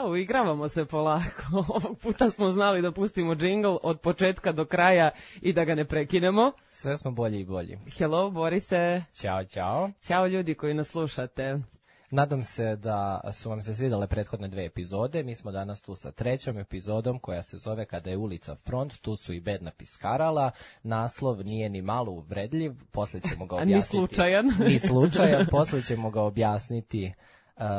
Uigravamo se polako. Ovog puta smo znali da pustimo džingl od početka do kraja i da ga ne prekinemo. Sve smo bolji i bolji. Hello, Borise. Ćao, ćao. Ćao ljudi koji nas slušate. Nadam se da su vam se svidjele prethodne 2 epizode. Mi smo danas tu sa 3. epizodom koja se zove Kada je ulica front. Tu su i bedna piskarala. Naslov nije ni malo uvredljiv. Poslije ćemo ga objasniti. Ni slučajan. Ni slučajan. Poslije ćemo ga objasniti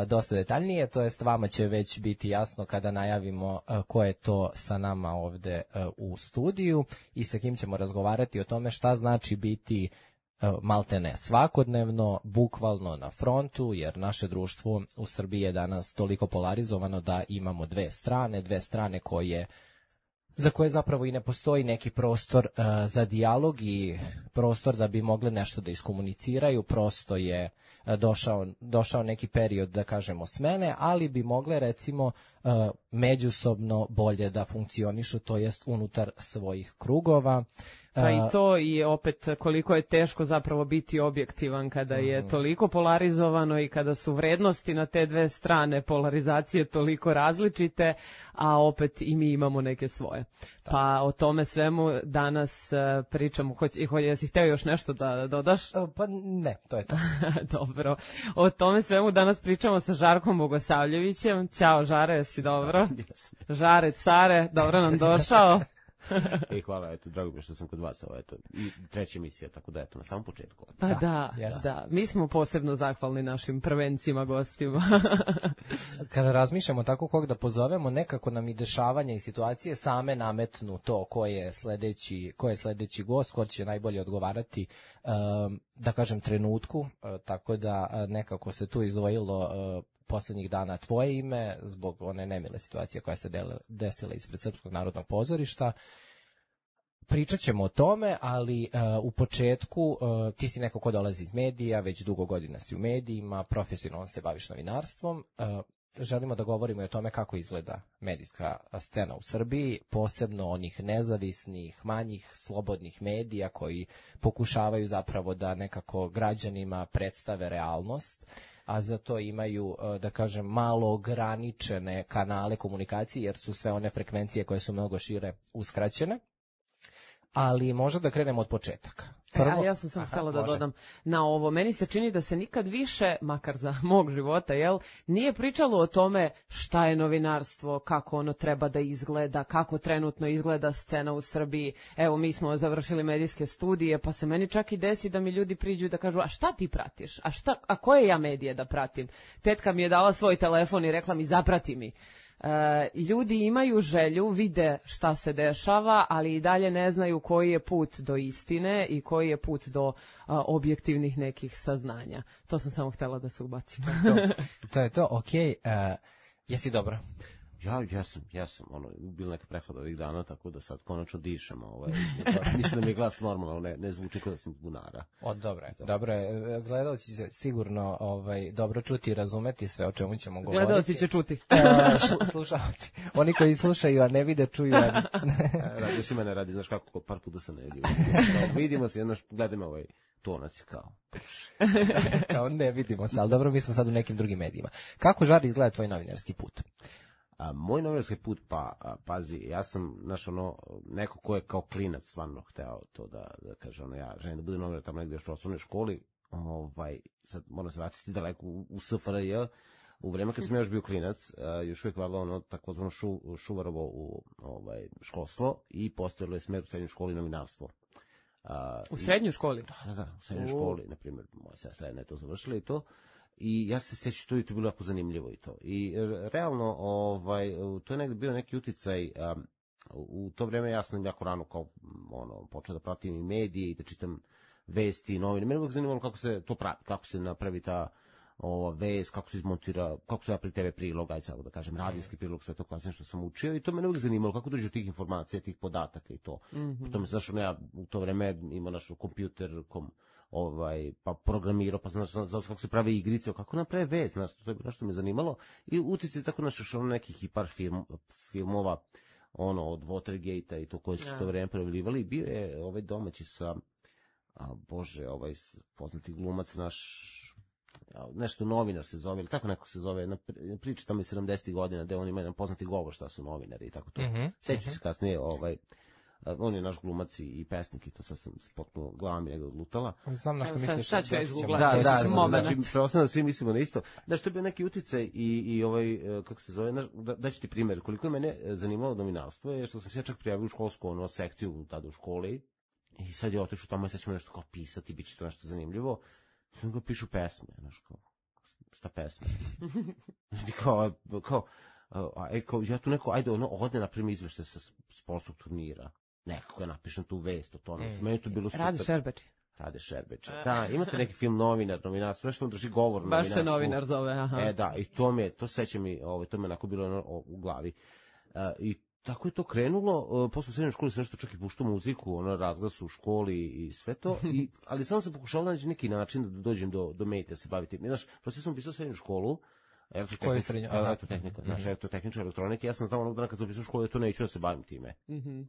dosta detaljnije. To jest vama će već biti jasno kada najavimo ko je to sa nama ovde u studiju i sa kim ćemo razgovarati o tome šta znači biti maltene svakodnevno, bukvalno na frontu, jer naše društvo u Srbiji je danas toliko polarizovano da imamo dve strane za koje zapravo i ne postoji neki prostor za dijalog i prostor da bi mogle nešto da iskomuniciraju. Prosto je došao neki period, da kažemo, smene, ali bi mogle recimo međusobno bolje da funkcionišu, to jest unutar svojih krugova. Pa i to i opet koliko je teško zapravo biti objektivan kada je toliko polarizovano i kada su vrednosti na te dve strane polarizacije toliko različite, a opet i mi imamo neke svoje. Pa o tome svemu danas pričamo. Jesi hteo još nešto da dodaš? Pa ne, to je to. Dobro. O tome svemu danas pričamo sa Žarkom Bogosavljevićem. Ćao Žare, jesi dobro? Žare, care, dobro nam došao. Hvala, eto, drago mi je što sam kod vas, eto, i 3. emisija, tako da, eto, na samom početku. Pa da, mi smo posebno zahvalni našim prvencima, gostima. Kada razmišljamo tako kog da pozovemo, nekako nam i dešavanja i situacije same nametnu to ko je sledeći gost, ko će najbolje odgovarati, da kažem, trenutku, tako da nekako se tu izdvojilo poslednjih dana tvoje ime zbog one nemile situacije koja se desila ispred Srpskog narodnog pozorišta. Pričat ćemo o tome, ali u početku ti si neko ko dolazi iz medija, već dugo godina si u medijima, profesionalno se baviš novinarstvom. Želimo da govorimo i o tome kako izgleda medijska scena u Srbiji, posebno onih nezavisnih, manjih, slobodnih medija koji pokušavaju zapravo da nekako građanima predstave realnost, a za to imaju, da kažem, malo ograničene kanale komunikacije, jer su sve one frekvencije koje su mnogo šire uskraćene. Ali možda da krenemo od početaka. A ja sam htjela da dodam na ovo. Meni se čini da se nikad više, makar za mog života, nije pričalo o tome šta je novinarstvo, kako ono treba da izgleda, kako trenutno izgleda scena u Srbiji. Evo, mi smo završili medijske studije, pa se meni čak i desi da mi ljudi priđu da kažu, a šta ti pratiš? A koje ja medije da pratim? Tetka mi je dala svoj telefon i rekla mi, zaprati mi. Ljudi imaju želju, vide šta se dešava, ali i dalje ne znaju koji je put do istine i koji je put do objektivnih nekih saznanja. To sam samo htjela da se ubacim. To je to, okej. Jesi dobro? Ja sam, bilo neka prehlada ovih dana, tako da sad konačno dišem, mislim da mi je glas normalno, ne zvuči kao da sam bunara. Dobro je, gledalci će sigurno dobro čuti i razumeti sve o čemu ćemo govoriti. Gledalci će čuti. Slušalci, oni koji slušaju, a ne vide, čuju. Radio si mene radi, znaš kako, par puta sam ne vidio. Vidimo se, gledaj me tonac kao ne vidimo se, ali dobro, mi smo sad u nekim drugim medijima. Kako, Žar, izgleda tvoj novinarski put? Moj novinarski put, pazi, ja sam, neko ko je kao klinac stvarno hteo to da kaže, ja želim da budem novinar tamo negdje još u osnovnoj školi, sad moram se vratiti daleko u SFRJ, u vreme kad sam još bio klinac, još uvijek vadilo takozvano Šuvarovo školstvo i postojalo je smer u srednjoj školi novinarstvo. U srednjoj školi? Da, u srednjoj školi, na primjer, moja sestra je to završila i to. I ja se sjećam to je bilo jako zanimljivo i to. I realno, to je negdje bio neki uticaj, u to vrijeme ja sam jako rano počeo da pratim i medije i da čitam vesti i novine. Mene uvijek zanimalo kako se to pravi, kako se napravi ta vest, kako se izmontira, kako se napravi TV prilog, da kažem, radijski prilog, sve to kasnije što sam učio i to mene uvijek zanimalo kako dođe do tih informacija, tih podataka i to. Potom, znaš, ja u to vrijeme imao naš kompjuter, pa programirao, pa znaš kako se pravi igrice, kako naprave vest, znaš, to je bilo što me zanimalo i utjecaj tako našao nekih i par filmova, od Watergate-a i to koje su to vrijeme projavljivali i bio je domaći sa, poznati glumac naš, nešto novinar se zove, ili tako neko se zove, na priča tamo iz 70. godina, gde on ima jedan poznati govor šta su novinari i tako to. Seću se kasnije, on je naš glumac i pesnik i to sad sam potpuno glava mi negdje odlutala. Znam na što misliš. Sad ću ja izgooglati. Da, znači, preostano da svi mislimo na isto. Znaš, to je bio neki uticaj i kako se zove, daću ti primjer, koliko je mene zanimalo novinarstvo je što sam se ja čak prijavio u školsku sekciju tada u školi i sad je otišao tamo i sad ćemo nešto kao pisati, bit će to nešto zanimljivo. Sad ga pišu pesme, znaš, kao, šta pesme? kao, ja tu neko, ajde, ode naprimi izvešte sa sportskog turnira. Nekako ja napišem tu vest o tome. Meni to bilo super. Rade Šerbeče. Da, imate neki film novinarstvo, nešto on drži govor novinarstvu. Baš se novinar zove, aha. Da, i to seća mi, to me onako bilo u glavi. I tako je to krenulo, posle u srednjoj školi sam nešto čak i puštao muziku, razglas u školi i sve to, ali samo sam pokušao da naći neki način da dođem do medija, se baviti. Znaš, prosto sam upisao srednju školu, elektrotehnička elektronike, ja sam znao onog dana kad sam upisao školu, to neću da se bavim time.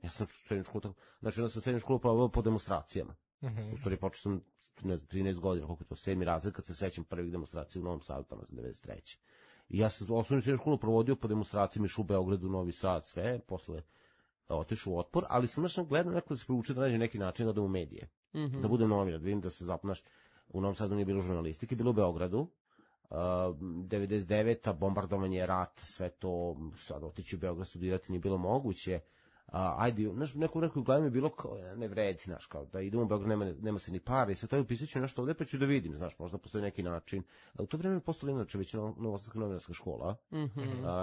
Ja sam srednju školu tako, znači onda sam srednju školu provao po demonstracijama. U stvari počeo sam 13 godina, koliko je to 7. razred, kad se sećam prvih demonstracija u Novom Sadu, tamo sam 93. I ja sam osnovnu srednju školu provodio po demonstracijama, išao u Beogradu, Novi Sad, sve, posle otišao u Otpor, ali sam nešto gledao neko da se priuči da nađe neki način da odem u medije, da budem novinar, da vidim da se zaponaš. U Novom Sadu nije bilo žurnalistike, bilo u Beogradu, 99. bombardovanje, rat, sve to, sad otići u Beograd studirati nije bilo moguće. Ajde, znaš, neku gledam je bilo kao, ne vredi, znaš, kao da idemo u Beograd, nema se ni para i sve to, upisat ću nešto ovde, pa ću da vidim, znaš, možda postoji neki način. U to vreme je postala inače već Novosadska novinarska škola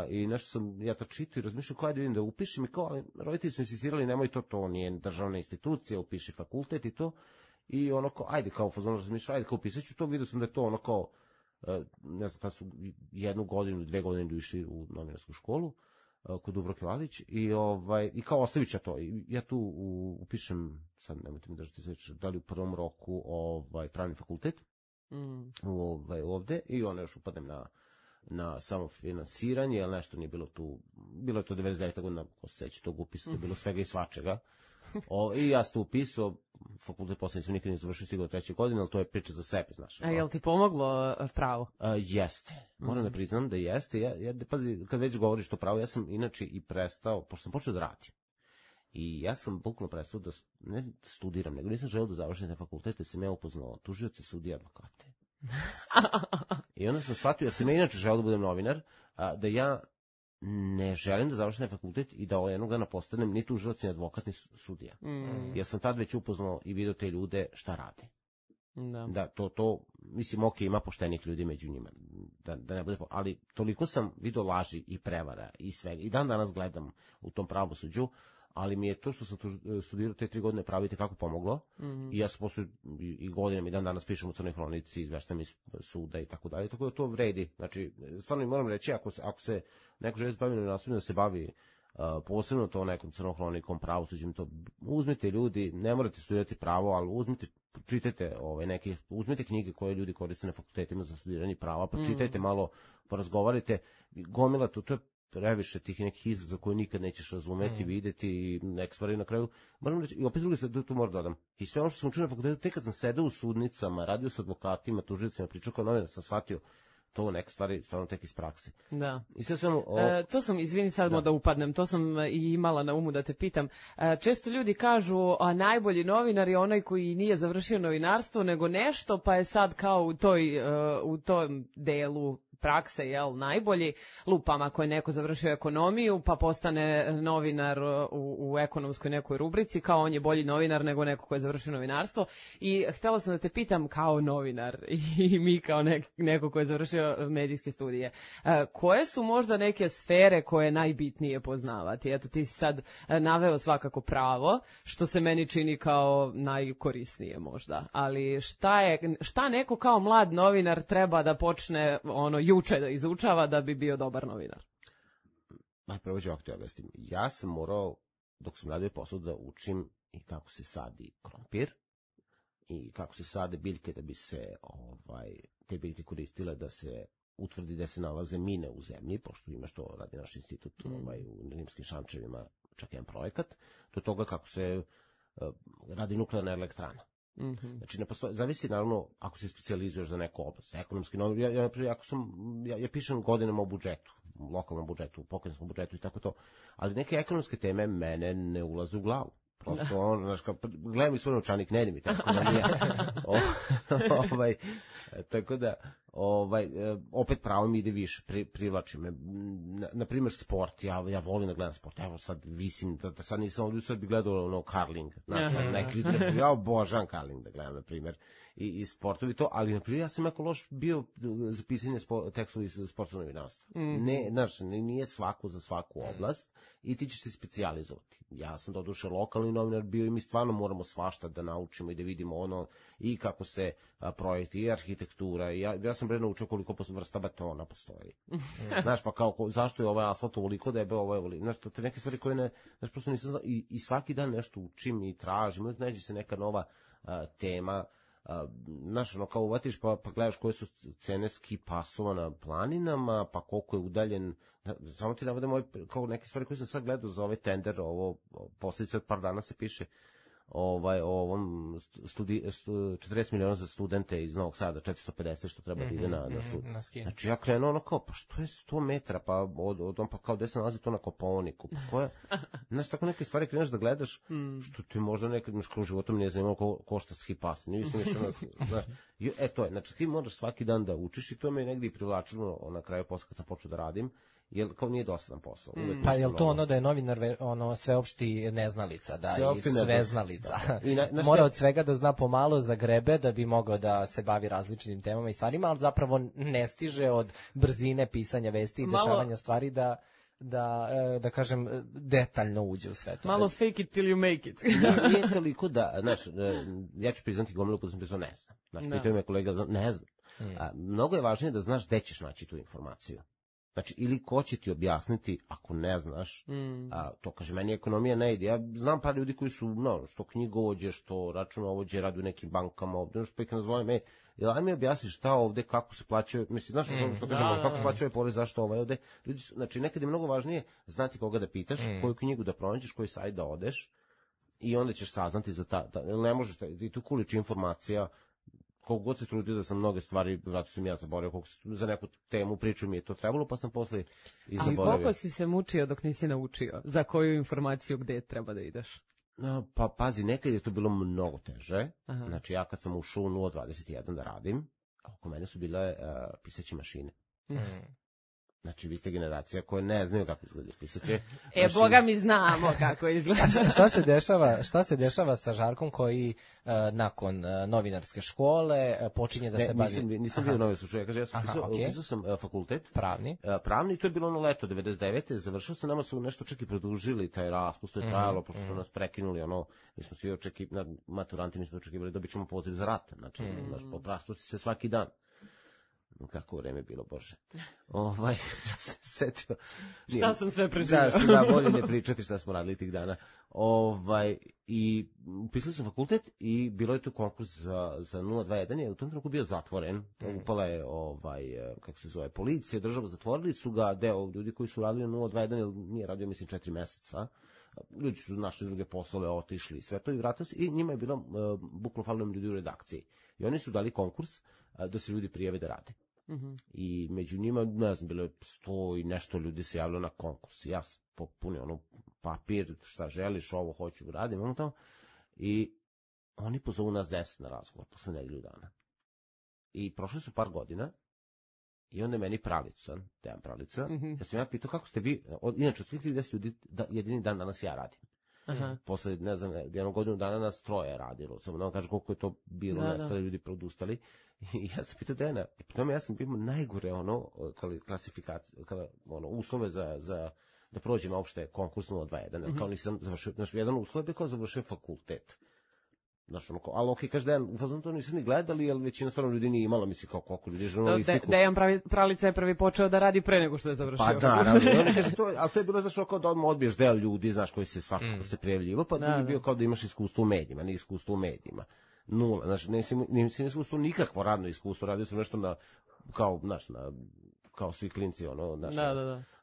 i nešto sam ja čitao i razmišljao kao, ajde vidim da upišem i kao, ali roditelji su insistirali, nemoj to nije državna institucija, upiši fakultet i to, i ono kao, ajde, kao fazon razmišljao, ajde, kao upisat ću to, vidio sam da je to ono kao, ne znam, tad su 1 godinu, 2 godine išli u novinarsku školu, kod Dubravke Valić i kao ostavit ću to. Ja tu upišem, sad nemojte mi držati sveće, da li u prvom roku pravni fakultet ovde i onda još upadnem na samofinansiranje, jer nešto nije bilo tu, bilo je to 99. godina, ko se seća tog upisa, to je bilo svega i svačega. I ja sam tu upisao, fakultet posle nisam nikad ne završio, stigao 3. godine, ali to je priča za sebe, znaš. A je li ti pomoglo pravo? Jeste. Moram da priznam da jeste. Pazi, kad već govoriš to pravo, ja sam inače i prestao, pošto sam počeo da radim. I ja sam bukvalno prestao da ne studiram, nego nisam želeo da završim te fakultete, sam ja upoznao tužioce, sudije, advokate. I onda sam shvatio, ja sam ja inače želeo da budem novinar, da ja ne želim da završim fakultet i da jednog dana postanem ni tužilac, ni advokat, ni sudija. Ja sam tad već upoznao i vidio te ljude šta rade. Da, to, mislim, ima poštenih ljudi među njima, da ne bude, ali toliko sam vidio laži i prevara i svega. I dan danas gledam u tom pravosuđu, ali mi je to što sam studirao te 3 godine pravo i tekako pomoglo. I ja sam posle i godinama i dan danas pišem u Crnoj hronici, izveštam iz suda i tako dalje, tako da to vredi. Znači, stvarno moram reći, ako se neko želi baviti novinarstvom, da se bavi posebno to nekom Crnom hronikom, pravosuđem, to uzmite ljudi, ne morate studirati pravo, ali čitajte uzmite knjige koje ljudi koriste na fakultetima za studiranje prava, pa čitajte malo, porazgovarajte, gomila to je previše tih nekih izraza koje nikad nećeš razumeti, videti i neke stvari na kraju. Moram reći, i opet drugi se tu moram dodam. I sve ono što sam učio na fakultetu, tek kad sam sedeo u sudnicama, radio sa advokatima, tužicima, pričao kao novinar, sam shvatio to neke stvari stvarno tek iz prakse. Da. I sve samo to sam, izvini sad da upadnem, to sam i imala na umu da te pitam. Često ljudi kažu, a najbolji novinar je onaj koji nije završio novinarstvo, nego nešto, pa je sad kao u tom delu prakse, najbolji, lupam ako je neko završio ekonomiju, pa postane novinar u ekonomskoj nekoj rubrici, kao on je bolji novinar nego neko ko je završio novinarstvo. I htjela sam da te pitam kao novinar i mi kao neko ko je završio medijske studije, koje su možda neke sfere koje je najbitnije poznavati? Eto, ti si sad naveo svakako pravo, što se meni čini kao najkorisnije možda, ali šta neko kao mlad novinar treba da počne juče da izučava da bi bio dobar novinar? Prvo ću ovako te objasnim. Ja sam morao, dok sam radio posao, da učim i kako se sadi krompir i kako se sade biljke da bi se te biljke koristile da se utvrdi da se nalaze mine u zemlji, pošto ima što radi naš institut u Rimskim Šančevima, čak jedan projekat, do toga kako se radi nuklearna elektrana. Znači, ne postoji, zavisi naravno ako se specijalizuješ za neku oblast. Ekonomski novinar, ja pišem godinama o budžetu, lokalnom budžetu, pokrajinskom budžetu i tako to, ali neke ekonomske teme mene ne ulaze u glavu. Prosto znaš, gledam i svoj novčanik, ne ide mi tako da nije. Tako da, opet pravo mi ide više, privlači me. Naprimjer, sport, ja volim da gledam sport, evo sad visim, da sad nisam ovdje, sad bi gledao karling, znaš, neki ljudi, ja obožavam karling da gledam, naprimjer, i sportovi to, ali naprimjer, ja sam jako loš bio za pisanje tekstova iz sportskog novinarstva. Ne, znaš, nije svako za svaku oblast i ti ćeš se specijalizovati. Ja sam doduše lokalni novinar bio i mi stvarno moramo svašta da naučimo i da vidimo i kako se projekti i arhitektura. Ja sam naučio koliko vrsta betona postoji. Znaš, pa kao, zašto je ovaj asfalt ovoliko debel, ovo je ovoliko. Znaš, te neke stvari koje znaš, prosto nisam znao. I svaki dan nešto učim i tražim. Uvijek nađe se neka nova tema. Znaš, kao uvatiš pa gledaš koje su cene ski pasova na planinama, pa koliko je udaljen. Samo ti navodem kao neke stvari koje sam sad gledao za ovaj tender, ovo posljedice od par dana se piše ovom 40 miliona za studente iz Novog Sada, 450 što treba da ide na studij. Znači ja krenuo kao, pa što je 100 metara, pa pa kao gde se nalazi to na Kopaoniku, pa koja, znaš, tako neke stvari kreneš da gledaš, što ti možda nekad imaš kroz životom nije zanimalo košta ski pas, nisam išao to je, znači ti moraš svaki dan da učiš i to me je negdje i privlačilo na kraju posle kad sam počeo da radim, jer kao nije dosadan posao. Pa je li to da je novinar sveopšti neznalica, da je sveznalica. Mora od svega da zna pomalo za grebe da bi mogao da se bavi različitim temama i stvarima, ali zapravo ne stiže od brzine pisanja vesti i dešavanja stvari da kažem, detaljno uđe u sve to. Malo fake it till you make it. Nije toliko da, znaš, ja ću priznati gomilu kada sam pisao ne znam. Znači, pitaju me kolega, ne znam. Mnogo je važnije da znaš gde ćeš naći tu informaciju. Znači, ili ko će ti objasniti ako ne znaš, to kaže, meni ekonomija ne ide. Ja znam par ljudi koji su, što knjigovođe, što računovođe, radi u nekim bankama ovde, pa ih nazovem, aj mi objasniš šta ovde, kako se plaćaju, mislim, znaš, što kažemo, kako se plaćaju porez, zašto ovde. Ljudi su, znači, nekad je mnogo važnije znati koga da pitaš, koju knjigu da pronađeš, koji sajt da odeš, i onda ćeš saznati za ne možeš, i tu kuliči informacija, koliko god se trudio da sam mnoge stvari, vratno sam ja zaboravio, koliko za neku temu priču mi je to trebalo, pa sam posle i zaboravio. Ali koliko si se mučio dok nisi naučio? Za koju informaciju gde treba da ideš? Pa pazi, nekad je to bilo mnogo teže. Znači ja kad sam ušao u 021 da radim, oko mene su bile pisaće mašine. Znači, vi ste generacija koja ne znaju kako izgleda pisaće. Boga mi znamo kako izgleda. Šta se dešava sa Žarkom koji nakon novinarske škole počinje da se bavi... Nisam bio novinarske škole, ja pisao sam fakultet. Pravni, to je bilo ono leto, 99. Završio sam, nama su nešto čak i produžili taj raspust, to je trajalo, pošto su nas prekinuli, mi smo svi maturanti, mi smo očekivali, dobit ćemo poziv za rat. Znači, poprastuci se svaki dan. Kako vreme bilo, Bože. Setio. Šta sam sve preživio. Da, bolje ne pričati šta smo radili tih dana. I upisali sam fakultet i bilo je tu konkurs za 021, je u tom trenutku bio zatvoren. Upala je, kako se zove, policija, država, zatvorili su ga, deo ljudi koji su radili na 021, jer nije radio, mislim, 4 meseca. Ljudi su našli druge poslove, otišli i sve to i vratili se i njima je bilo bukvalno falilo ljudi u redakciji. I oni su dali konkurs da se ljudi prijave da rade. I među njima, ne znam, bilo je 100 i nešto ljudi se javilo na konkurs. Ja sam popunio papir, šta želiš, ovo hoću, radim, i oni pozovu nas 10 na razgovor posle nedelju dana. I prošli su par godina i onda je meni Dejan Pravica, ja sam pitao kako ste vi, inače od svih 10 ljudi, jedini dan danas ja radim. Posle, ne znam, jednog godinu dana nas 3 radilo, samo da vam kažem koliko je to bilo, nestali ljudi produstali. I ja sam pitao Dejana, i potom ja sam imao najgore klasifikacije, uslove za da prođem uopšte konkurs 021, kao nisam završio, znači jedan uslov je kao završio fakultet. Znaš, ali okej, kaže Dejan, u fazonu to nisam ni gledali, jer većina stvarno ljudi nije imala, misli kao koliko ljudi žurnalistiku. Dejan Pralica je prvi počeo da radi pre nego što je završio. Pa da, ali to je bilo zašto kao da odmah odbiješ deo ljudi, znaš, koji se svakako se prijavljivo, pa da bi bio kao da imaš iskustvo u medijima, ne iskustvo u medijima. Nula, znači nisam iskustvo nikakvo radno iskustvo, radio sam nešto kao svi klinci,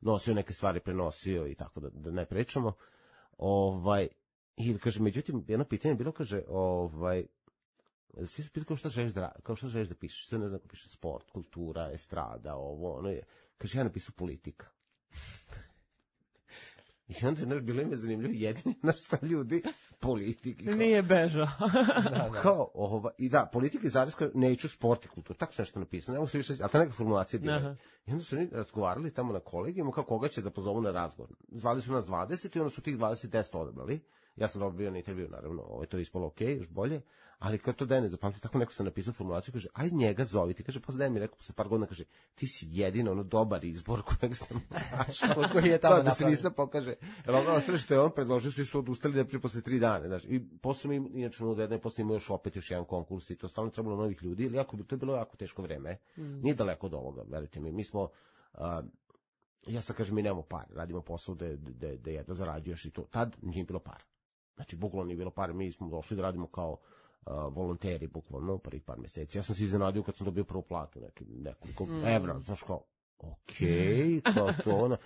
nosio neke stvari, prenosio i tako da ne pričamo. I kaže, međutim, jedno pitanje je bilo, kaže, svi su pitali kao šta želiš da pišeš, sve ne znam, piše sport, kultura, estrada, ovo, ono je, kaže, ja napisao politika. I onda je bilo ime zanimljivo, jedini nastav ljudi, politik. Nije bežao. Kao, i da, politika i zareska, neću sport i kulturu, tako se nešto napisano, ne mogu se više, ali ta neka formulacija bila. I onda su oni razgovarali tamo na kolegijumu, kao koga će da pozovu na razgovor. Zvali su nas 20 i onda su tih 20 10 odabrali. Ja sam dobro bio na intervju, naravno, to je ispalo okej, još bolje, ali kao to da ne zapamti, tako neko sam napisao formulaciju, kaže, aj njega zoviti, kaže, posle da mi rekao, posle par godina, kaže, ti si jedino dobar izbor kojeg sam našao, koji je tamo da se nisam pokaže, jer ono sve što je on predložio, su odustali da prije posle 3 dana, znaš, i posle mi, inače i posle imao još jedan konkurs i to stalno trebalo novih ljudi, ili to je bilo jako teško vreme, nije daleko od ovoga, verujte mi smo, ja sad kažem, mi nemamo par, radimo posao da jedva zarađuješ i to, tad nije bilo par. Znači, bukvalno nije bilo par, mi smo došli da radimo kao volonteri, bukvalno, prvih par meseci. Ja sam se iznenadio kad sam dobio prvu platu, nekoliko evra, znaš kao, okej, kao to, ono.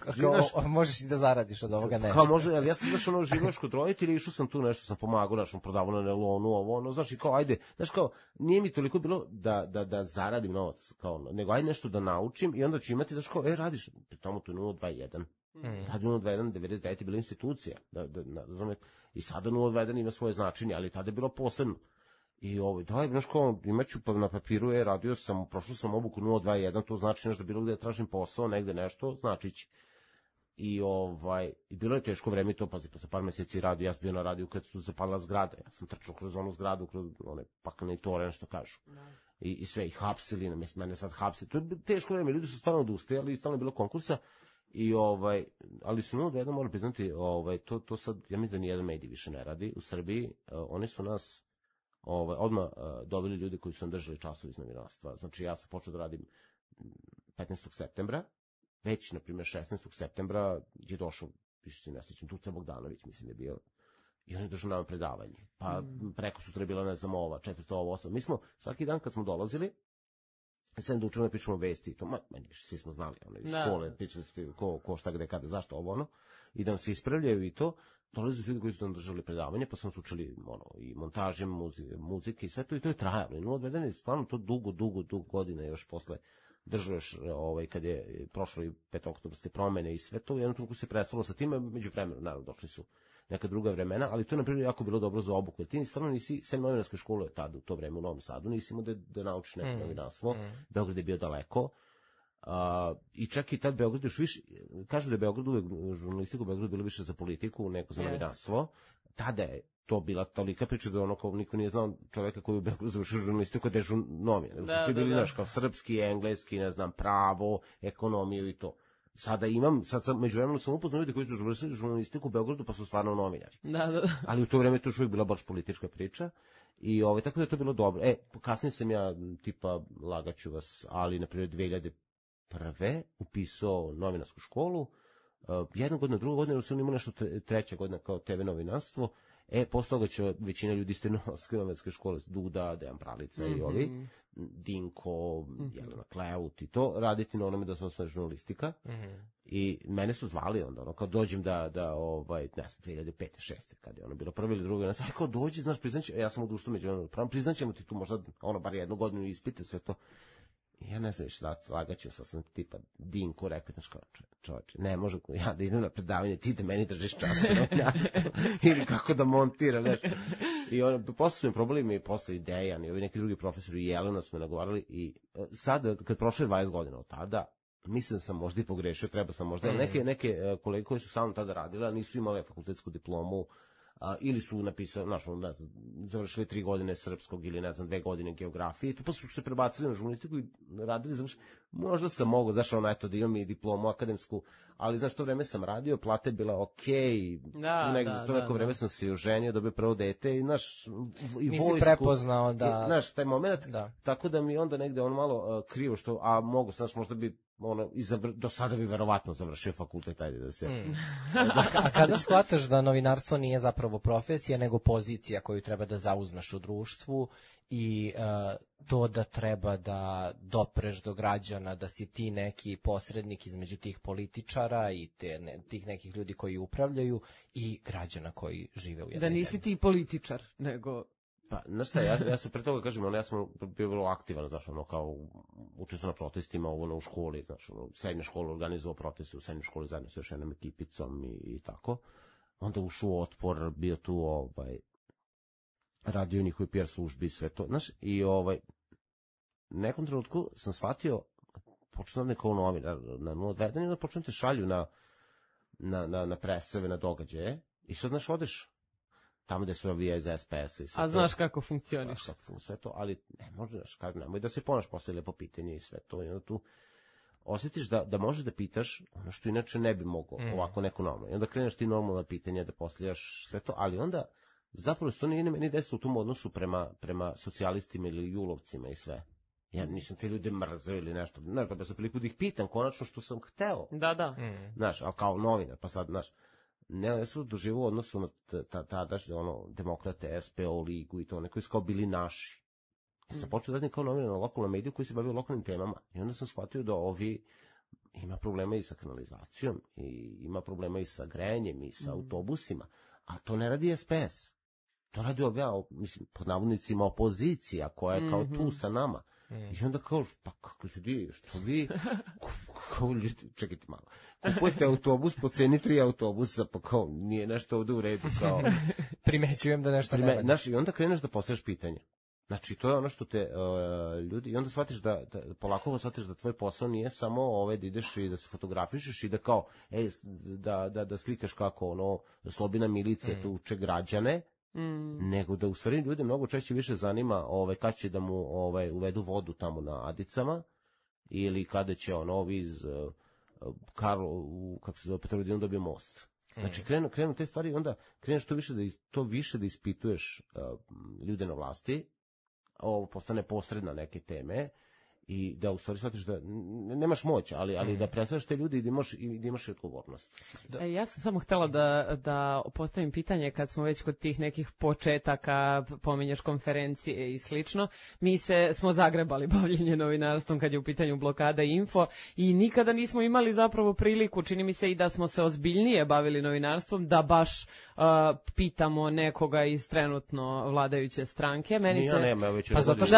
Možeš i da zaradiš od ovoga nešto. Kao može, ali ja sam znaš, živio kod roditelja, išao sam tu nešto, sam pomagao, znaš, prodavao na nelonu, ovo, ono, znaš, i kao, ajde, znaš, kao, nije mi toliko bilo da zaradim novac, kao, nego ajde nešto da naučim i onda ću imati, znaš, kao, radiš, pri tomu to je 021. Radi 021, 99 je bila institucija, i sada 021 ima svoje značenje, ali tada je bilo posebno. I daj, znaš kao, imaću pa na papiru, radio sam, prošao sam obuku 021, to znači nešto, bilo gde tražim posao, negde nešto, značići. I bilo je teško vreme i to, pazi, posle par meseci radio, ja sam bio na radiju kad su zapalila zgrada, ja sam trčao kroz onu zgradu, kroz one paklene tore, što kažu. I sve, i hapsili, mene sad hapsili, to je teško vreme, ljudi su stvarno odustajali, stalno je bilo konkursa. I ali su jedno moram priznati, to sad, ja mislim da nijedan medij više ne radi u Srbiji, oni su nas odmah doveli ljudi koji su nam držali časovi iz novinarstva. Znači, ja sam počeo da radim 15. septembra, već, na primjer, 16. septembra je došao, više se ne sjećam, Tuca Bogdanović, mislim da je bio, i on je držao nam predavanje. Pa preko sutra je bila, ne znam, 4. 8. Mi smo, svaki dan kad smo dolazili, sad da učemo da pričamo vesti i to, svi smo znali, iz škole, pričali su ko šta gde kada, zašto ovo, i da nam se ispravljaju i to, dolaze ljudi koji su nam držali predavanje, pa sam se učili i montaže, muzike i sve to, i to je trajalo. I odvedeno je stvarno to dugo godine još posle držao još, kad je prošlo i petooktobarske promene i sve to, jednom trenutku se prestalo sa time, među vremenu, naravno, došli su neka druga vremena, ali to je, na primjer, jako bilo dobro za obuku, jer ti stvarno nisi, sem novinarske škole tada, u to vreme u Novom Sadu, nisi imao da naučiš neko novinarstvo, Beograd je bio daleko, i čak i tad Beograd još više, kažu da je Beograd uvek, žurnalistiku u Beogradu bilo više za politiku nego za novinarstvo, tada je to bila tolika priča da kao niko nije znao čoveka koji u Beogradu završio žurnalistiku da je novine, svi bili naš kao srpski, engleski, ne znam, pravo, ekonomiju i to. Sad međuvremeno sam upoznao ljudi koji su završili žurnalistiku u Beogradu pa su stvarno novinari. Ali u to vreme to još uvijek bila baš politička priča. I tako da je to bilo dobro. Kasnije sam ja, tipa, lagaću vas, ali na primjer 2001. upisao novinarsku školu. Jednu godinu, drugu godinu sam imao nešto, treća godina kao TV novinarstvo. Posle toga će većina ljudi iz te novinarske škole, Duda, Dejan Pralica i ovi, Dinko, Jelena Kleut i to, raditi na onome da sam osnovna žurnalistika. I mene su zvali onda, kao dođem da ne znam, 2005. 2006. kad je bilo prvo ili drugo, kao dođi, znaš, priznaćemo, ja sam odustao među priznaćemo ti tu možda, bar jednu godinu ispite, sve to. Ja ne znam šta, lagaću sam tipa Dinku, rekao, znaš kao, čovječe, ne može ja da idem na predavanje, ti da meni držiš časove, ili kako da montiram, znaš. I posle su mi probali posle Dejan i ovi neki drugi profesori i Jelena su me nagovarali i sad, kad prošle 20 godina od tada, mislim da sam možda i pogrešio, treba sam možda, neke kolege koji su sa mnom tada radile, nisu imali fakultetsku diplomu, ili su napisali, ne znam, završili 3 godine srpskog ili ne znam 2 godine geografije, tu pa su se prebacili na žurnalistiku i radili, možda sam mogao, znaš, eto da imam i diplomu akademsku, ali znaš, to vreme sam radio, plata je bila okej, to neko vreme sam se oženio, dobio prvo dete i znaš, i nisi prepoznao da... Znaš, taj moment, tako da mi onda negde malo krivo što, a mogu, znaš, možda bi do sada bi verovatno završio fakultet, ajde da se... A kada shvataš da novinarstvo nije zapravo profesija, nego pozicija koju treba da zauzmeš u društvu i to da treba da dopreš do građana, da si ti neki posrednik između tih političara i tih nekih ljudi koji upravljaju i građana koji žive u jednoj zemlji? Da nisi ti političar, nego... Pa, znaš šta, ja sam pre toga kažem, ja sam bio vrlo aktivan, znaš, kao učestvo na protestima, u školi, znaš, srednja škola organizovao proteste u srednjoj školi zajedno sa još jednom ekipicom i tako. Onda ušao Otpor, bio tu, radio u njihovi PR službi i sve to, znaš, i nekom trenutku sam shvatio, počeo sam kao novinar na 021 i onda počeo te šalju na preseve, na događaje i sad, znaš, odeš tamo gde su ovija iz SPS-a i sve to. A znaš kako funkcioniš. Sve to, ali ne možeš, nemoj da se ponaš posle lepo pitanje i sve to. I onda tu osjetiš da možeš da pitaš ono što inače ne bi mogao ovako neko normalno. I onda kreneš ti normalna pitanja da postavljaš sve to, ali onda zapravo to nije meni desilo u tom odnosu prema socijalistima ili julovcima i sve. Ja nisam te ljude mrzeo ili nešto. Znaš, da sam priliku da ih pitam konačno što sam hteo. Da. Znaš, ali kao novinar, pa sad, znaš, ne, ja sam doživao u odnosu na tadašnje, demokrate, SPO ligu i to, oni koji su kao bili naši. Ja sam počeo da radim kao novinar na lokalnom mediju koji se bavio lokalnim temama. I onda sam shvatio da ovi ima problema i sa kanalizacijom, i ima problema i sa grejanjem, i sa autobusima. A to ne radi SPS. To radi mislim, pod navodnicima opozicija koja je kao tu sa nama. I onda kao, pa kako ljudi, što vi, čekajte malo, kupujete autobus po ceni 3 autobusa, pa kao, nije nešto ovde u redu, kao. Primećujem da nešto ne. Znaš, i onda kreneš da postavljaš pitanje. Znači, to je ono što te ljudi, i onda shvatiš polako shvatiš da tvoj posao nije samo da ideš i da se fotografišeš i da kao, da slikaš kako slobina milicija tuče građane, nego da u stvari ljude mnogo češće više zanima kad će da mu uvedu vodu tamo na Adicama, ili kada će ovi iz kako se zove, Petrovaradinu dobije most. Znači krenu te stvari i onda kreneš to više da ispituješ ljude na vlasti, ovo postane posredna neke teme i da u stvari shvatiš da nemaš moć, ali da predstavljaš te ljudi i da imaš odgovornost. Ja sam samo htjela da postavim pitanje kad smo već kod tih nekih početaka, pominješ konferencije i slično. Mi smo zagrebali bavljenje novinarstvom kad je u pitanju Blokada Info i nikada nismo imali zapravo priliku, čini mi se i da smo se ozbiljnije bavili novinarstvom, da baš pitamo nekoga iz trenutno vladajuće stranke. Pa zato što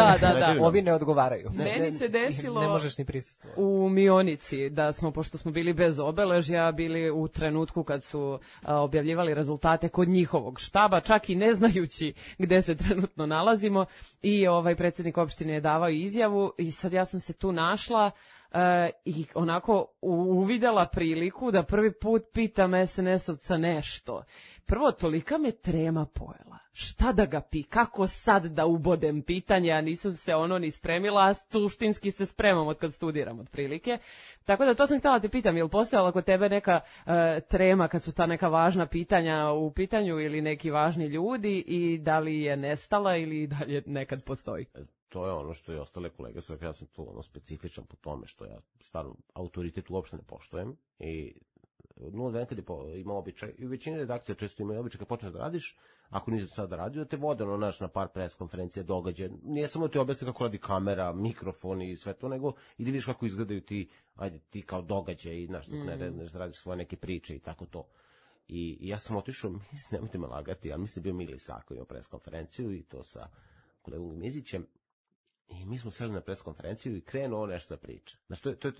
ovi ne odgovaraju. Meni se desilo ne možeš ni prisustvovati. U Mionici da smo, pošto smo bili bez obeležja, bili u trenutku kad su objavljivali rezultate kod njihovog štaba, čak i ne znajući gde se trenutno nalazimo, i predsjednik opštine je davao izjavu i sad ja sam se tu našla i onako uvidela priliku da prvi put pitam SNS-ovca nešto. Prvo, tolika me trema pojela. Šta da ga kako sad da ubodem pitanje, a nisam se ni spremila, a suštinski se spremam od kad studiram otprilike. Tako da to sam htjela te pitam, je li postojala kod tebe neka trema kad su ta neka važna pitanja u pitanju ili neki važni ljudi i da li je nestala ili dalje nekad postoji? To je ono što i ostale kolege su rekli, ja sam tu specifičan po tome što ja stvarno autoritet uopšte ne poštujem i 0-1 kad je imao običaj, i u većini redakcija često imaju običaj kad počneš da radiš, ako nisi sad radio, da te vode na par pres konferencija, događaja, nije samo ti objasni kako radi kamera, mikrofoni i sve to, nego i da vidiš kako izgledaju ti kao događaje i znaš, dok ne radiš svoje neke priče i tako to. I ja sam otišao, nemojte me lagati, ja mislim da je bio Mili Sako imao pres konferenciju i to sa kolegom Mizićem. I mi smo seli na pres konferenciju i krenuo nešto da priča. Znači, to je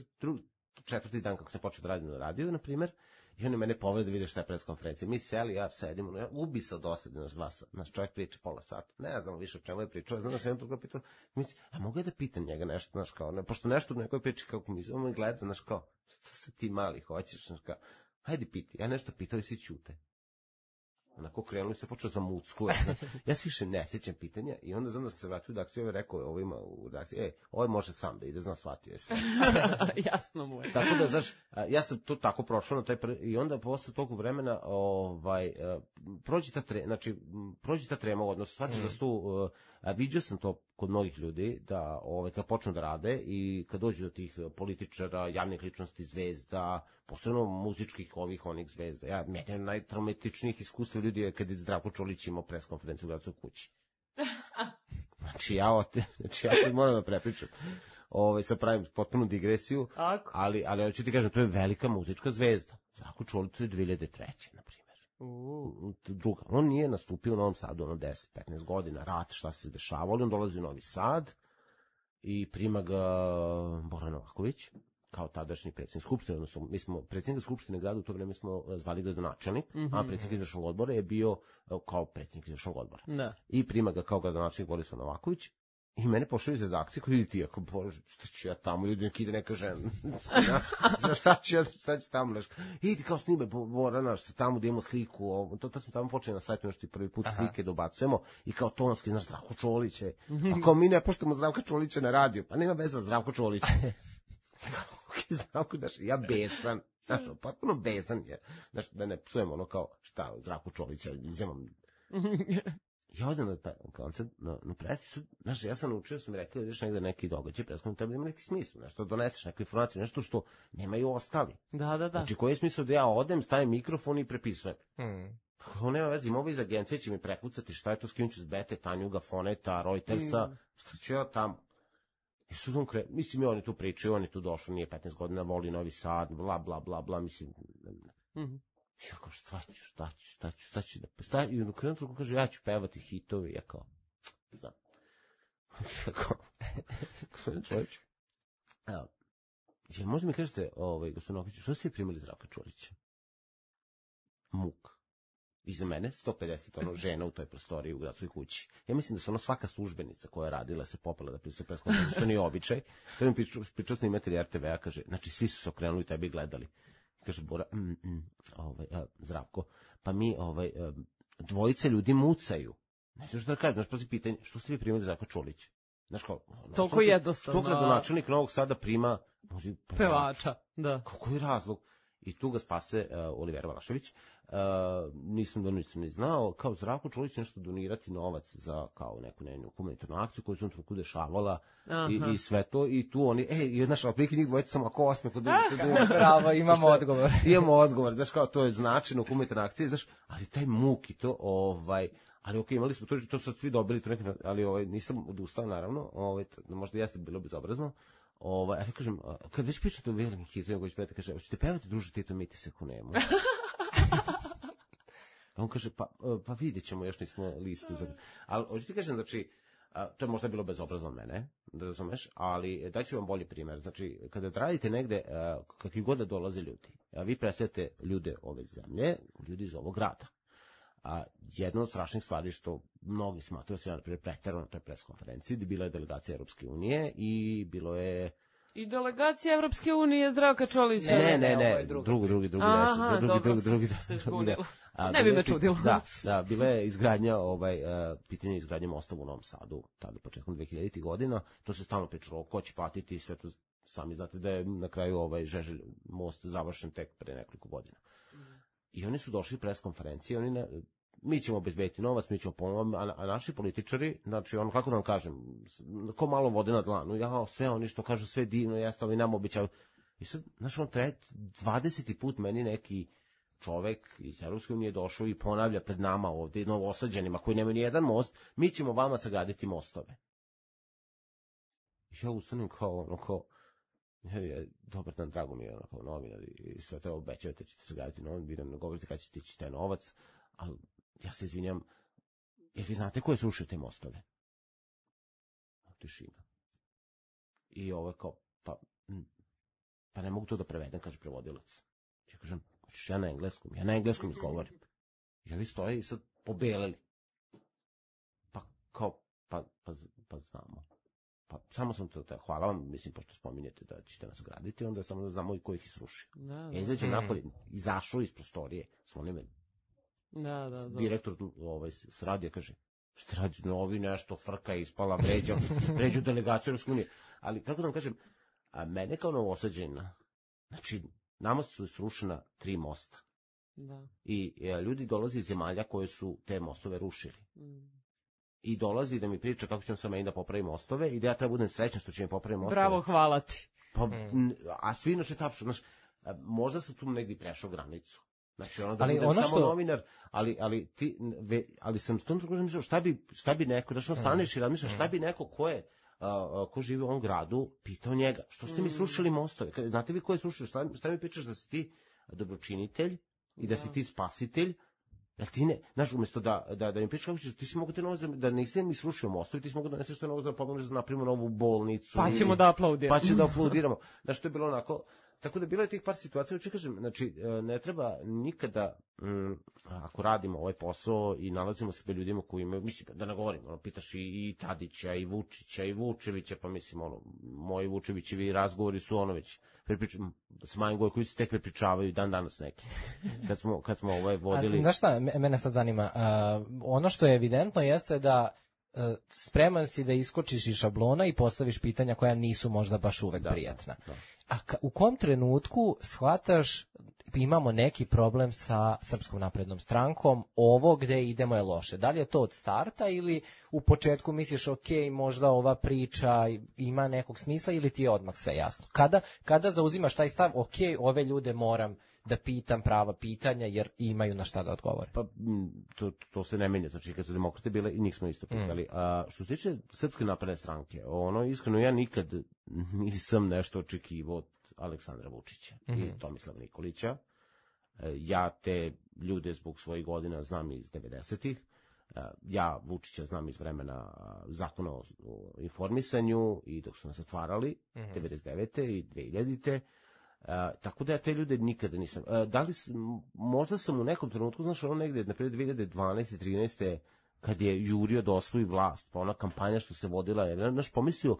četvrti dan kako sam počeo da radim na radiju, na primjer, i oni mene povede da vide šta je pres konferencija. Mi seli, ja sedim, ja ubi se od osade, naš čovjek priča pola sata. Ne znam više o čemu je pričao, znam da sam jednom toga pitao, a mogu ja da pitam njega nešto, znaš kao, pošto nešto u nekoj priči kako mi zovemo i gleda, znaš kao, šta se ti mali hoćeš, znaš kao, hajde piti, ja nešto pitao i svi ćute. Onako krenuli se, počeo za mucku. Ja se više ne sjećam pitanja i onda znam da sam se vratio u redakciju i rekao ovo ima u redakciji, ovo može sam da ide, znam, shvatio je sve. Jasno mu je. Tako da, znaš, ja sam to tako prošao na taj i onda posle toliko vremena prođi ta trema u odnosu, shvatiš da su tu, vidio sam to kod mnogih ljudi, da kad počnu da rade i kad dođu do tih političara, javnih ličnosti, zvezda, posebno muzičkih onih zvezda. Meni najtraumatičnijih iskustva ljudi je kad je Zdravko Čolić imao pres konferenciju u Gradskoj kući. Znači ja sad moram da prepričam. Sad pravim potpunu digresiju, ali ću ti kažem, to je velika muzička zvezda. Zdravko Čolić je 2003. na primjer. Druga. On nije nastupio u Novom Sadu 10-15 godina, rat, šta se dešavalo, on dolazi u Novi Sad i prima ga Bora Novaković, kao tadašnji predsjednik Skupštine, odnosno mi smo predsjednik Skupštine grada u to vreme smo zvali gradonačelnik, a predsjednik izvršnog odbora je bio kao predsjednik izvršnog odbora. Da. I prima ga kao gradonačelnik Borislav Novaković i mene pošli iz redakcije koji vidi ti, ako bože, šta ću ja tamo, ljudi neki ide neka žena, šta ću tamo, idi kao snime Bora naš, tamo da imamo sliku, to smo tamo počeli na sajtu, nešto prvi put slike dobacujemo i kao tonski, znaš, Zdravko Čolić je, ako mi ne poštamo Zdravka Čolića na radiju, pa nema veze Zdravko Čolić. Zdravko, znaš, ja besan, znaš, potpuno besan je, znaš, da ne psujemo ono kao, šta, Zdravko Čolića, izjemam. Ja odem na koncert, na predstavu, znaš, ja sam naučio, sam mi rekao, ideš negde neki događaj, predstavljamo, treba ima neki smislu, nešto, doneseš neku informaciju, nešto što nemaju ostali. Da. Znači, koji je smisao da ja odem, stavim mikrofon i prepisujem? Ovo nema veze, ima iz agencije će mi prekucati šta je to, skinuću s Bete, Tanjuga, Foneta, Reutersa, šta ću ja tamo? I sad on mislim, i oni tu pričaju, on je tu došao, nije 15 godina, voli Novi Sad, bla, bla, bla, bla, mislim, ja kao, šta ću da, i u krenu truku kaže, ja ću pevati hitovi, ja kao, znam, ja kao, gospodin Čolić, možda mi kažete, gospodin Okić, što ste primili Zdravka Čolića? Muk. Iza mene 150 žena u toj prostoriji u gradskoj kući. Ja mislim da se svaka službenica koja je radila se popela da pristupi preskonferenciji, što nije običaj. To mi pričao snimatelj RTV-a, kaže, znači svi su se okrenuli i tebi gledali. Kaže Bora, Zdravko, pa mi dvojice ljudi mucaju. Ne znaš da kažem, znaš, pazi pitanje, što ste vi primili Zdravka Čolića? Znaš kao, toliko jednostavno. Što gradonačelnik Novog Sada prima pevača, da. Koji razlog? I tu ga spase Olivera Valašević. Nisam ni znao, kao Zdravko Čolić nešto donirati novac za kao neku njenu humanitarnu akciju koju su on truku dešavala i sve to, i tu oni, znaš, otprilike njih dvojica sam ako osme kod bravo, imamo odgovor. Imamo odgovor, znaš, kao to je značajno humanitarna akcija, znaš, ali taj muk i to, ali okej, imali smo to su svi dobili, ali nisam odustao, naravno, možda jeste bilo bezobrazno, ali kažem, kad već pričate o velikim hitovima koji će pevati, kaže, hoćete pevati druže Tito, mi ti se kunemo. On kaže, pa vidjet ćemo, još nismo listu. Ali, hoću ti kažem, znači, to je možda bilo bezobrazno od mene, da razumeš, ali daću vam bolji primjer. Znači, kada radite negde, kakvi god da dolaze ljudi, vi predstavljate ljude ove zemlje, ljudi iz ovog grada. Jedna od strašnih stvari što mnogi smatruju se, na primjer, preterano na toj preskonferenciji, gdje bila je delegacija Europske unije i bilo je... I delegacija Evropske unije Zdravka Čolića. Ne, drugi. Ne bi me čudilo. Da, bila je izgradnja, pitanje izgradnje mostova u Novom Sadu, tada početkom 2000. godina, to se stalno pričalo, ko će platiti, sve to sami znate da je na kraju Žeželj most završen tek pre nekoliko godina. I oni su došli preskonferencije, mi ćemo obezbediti novac, mi ćemo pomoći, a naši političari, znači, kako da vam kažem, ko malo vode na dlanu, sve oni što kažu, sve divno, jeste, ovi nam običaju. I sad, znaš, 20. put meni neki čovek iz Europske unije došao i ponavlja pred nama ovde, novosađenima, koji nemaju ni jedan most, mi ćemo vama sagraditi mostove. I ja ustanem kao, dobar dan, drago mi je, kao novinar, i sve to obećavate, ćete sagraditi novac, vi nam ne govorite kada ćete ići taj novac, ali ja se izvinjam, jer vi znate ko je srušio te mostove? Tišina. I ovo je kao, pa ne mogu to da prevedem, kaže prevodilac. Ja kažem, hoćeš ja na engleskom izgovorim. I ovi stoje i sad pobeleli. Pa kao, pa znamo. Pa samo sam to, hvala vam, mislim, pošto spominjete da ćete nas graditi, onda samo da znamo i ko ih srušio. Ja izađem napolje, izašao iz prostorije, zvoni direktor s radija kaže, šta radi novi nešto, frka je ispala, vređu delegaciju Europske unije. Ali, kako da vam kažem, mene kao Novosađenina, znači, nama su srušena 3 mosta. I ljudi dolaze iz zemalja koje su te mostove rušili. I dolazi da mi priča kako ćemo sa meni da popravim mostove i da ja treba budem srećan što će mi popraviti mostove. Bravo, hvala ti. A svi inače tapšu, znaš, možda sam tu negdje prešao granicu. Znači, da budem samo novinar, ali sam tom drugo mislio, šta bi neko, znači, staneš i razmišljaš, šta bi neko ko živi u ovom gradu, pitao njega, što ste mi srušili mostove? Znate vi ko je srušio? Šta mi pričaš da si ti dobročinitelj i da si ti spasitelj Jel ti ne, znaš, umjesto da im pričaš kako ćeš, ti si mogu te novo, da nisam mi srušio mostovi, ti si mogu da neseš to novo da pomogneš da napravimo novu bolnicu. Pa ćemo da aplaudiramo. Pa će da aplaudiramo. Znaš, to je bilo onako, tako da bilo je tih par situacija, hoću kažem, znači, ne treba nikada, ako radimo ovaj posao i nalazimo se pred ljudima koji imaju, mislim, da ne govorim, ono, pitaš i Tadića, i Vučića, i Vučevića, pa mislim, ono, moji Vučevićevi razgovori su ono već, s Majom koji se tek prepričavaju dan danas neki. Kad smo vodili... Znaš šta, mene sad zanima, ono što je evidentno jeste da spreman si da iskočiš iz šablona i postaviš pitanja koja nisu možda baš uvek prijatna. Da. A u kom trenutku shvataš imamo neki problem sa Srpskom naprednom strankom, ovo gde idemo je loše? Da li je to od starta ili u početku misliš ok, možda ova priča ima nekog smisla ili ti je odmah sve jasno? Kada zauzimaš taj stav, ok, ove ljude moram da pitam prava pitanja jer imaju na šta da odgovore? Pa to se ne menja, znači kad su demokrate bile i njih smo isto pitali. A što se tiče Srpske napredne stranke, ono iskreno ja nikad nisam nešto očekivao od Aleksandra Vučića i Tomislava Nikolića. Ja te ljude zbog svojih godina znam iz 90-ih. Ja Vučića znam iz vremena zakona o informisanju i dok su nas zatvarali 99. i 2000. Tako da ja te ljude nikada nisam. Možda sam u nekom trenutku, znaš, ono negde, na primjer 2012. 13. kad je jurio da osvoji vlast, pa ona kampanja što se vodila, je, znaš, pomislio,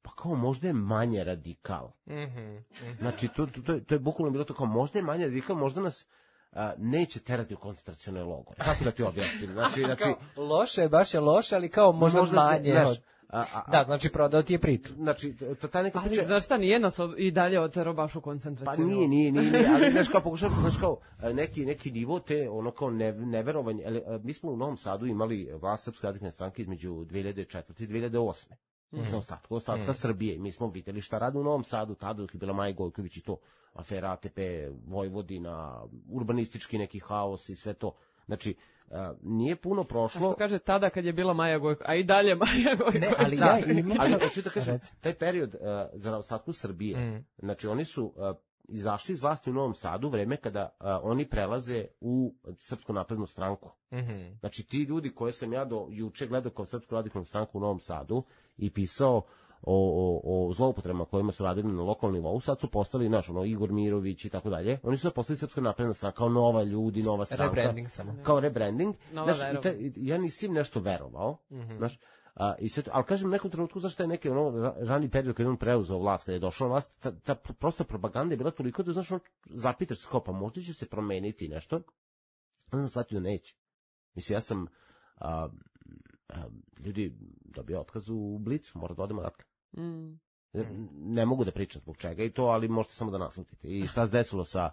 pa kao možda je manje radikal. Znači, to je bukvalno bilo to kao možda je manje radikal, možda nas neće terati u koncentracione logore. Kako da ti objasnim? Znači, loše je, baš je loše, ali kao možda manje. Da, znači prodao ti je priču. Znači, ta neka priča... Ali znaš šta, nije nas i dalje otero baš u koncentraciju. Pa nije, ali znaš kao pokušavam, znaš kao neki nivo te, ono kao neverovanje, mi smo u Novom Sadu imali vlast Srpske radikalne stranke između 2004. i 2008. Za ostatka Srbije. Mi smo videli šta radi u Novom Sadu, tada dok je bila Maja Gojković i to, afera ATP, Vojvodina, urbanistički neki haos i sve to. Znači, nije puno prošlo. A što kaže tada kad je bila Maja Gojković, a i dalje Maja Gojković. Ne, ali ja imam... Ali hoću da kažem, taj period za ostatku Srbije, znači oni su izašli iz vlasti u Novom Sadu vreme kada oni prelaze u Srpsku naprednu stranku. Znači ti ljudi koje sam ja do juče gledao kao Srpsku radikalnu stranku u Novom Sadu i pisao o zloupotrebama kojima su radili na lokalnom nivou, sad su postali, znaš, Igor Mirović i tako dalje. Oni su postali Srpska napredna stranka kao nova ljudi, nova stranka. Rebranding samo. Kao rebranding. Ja nisam nešto verovao, znaš, ali kažem, u nekom trenutku, zašto je neki rani period kada je on preuzeo vlast, kada je došao na vlast, ta prosta propaganda je bila toliko da, znaš, zapitaš se kao, pa možda će se promeniti nešto, onda sam shvatio da neće. Mislim, ja sam ljudi dobio otkaz u Blicu, mora da odemo odatle. Ne mogu da pričam zbog čega i to, ali možete samo da naslutite. I šta se desilo sa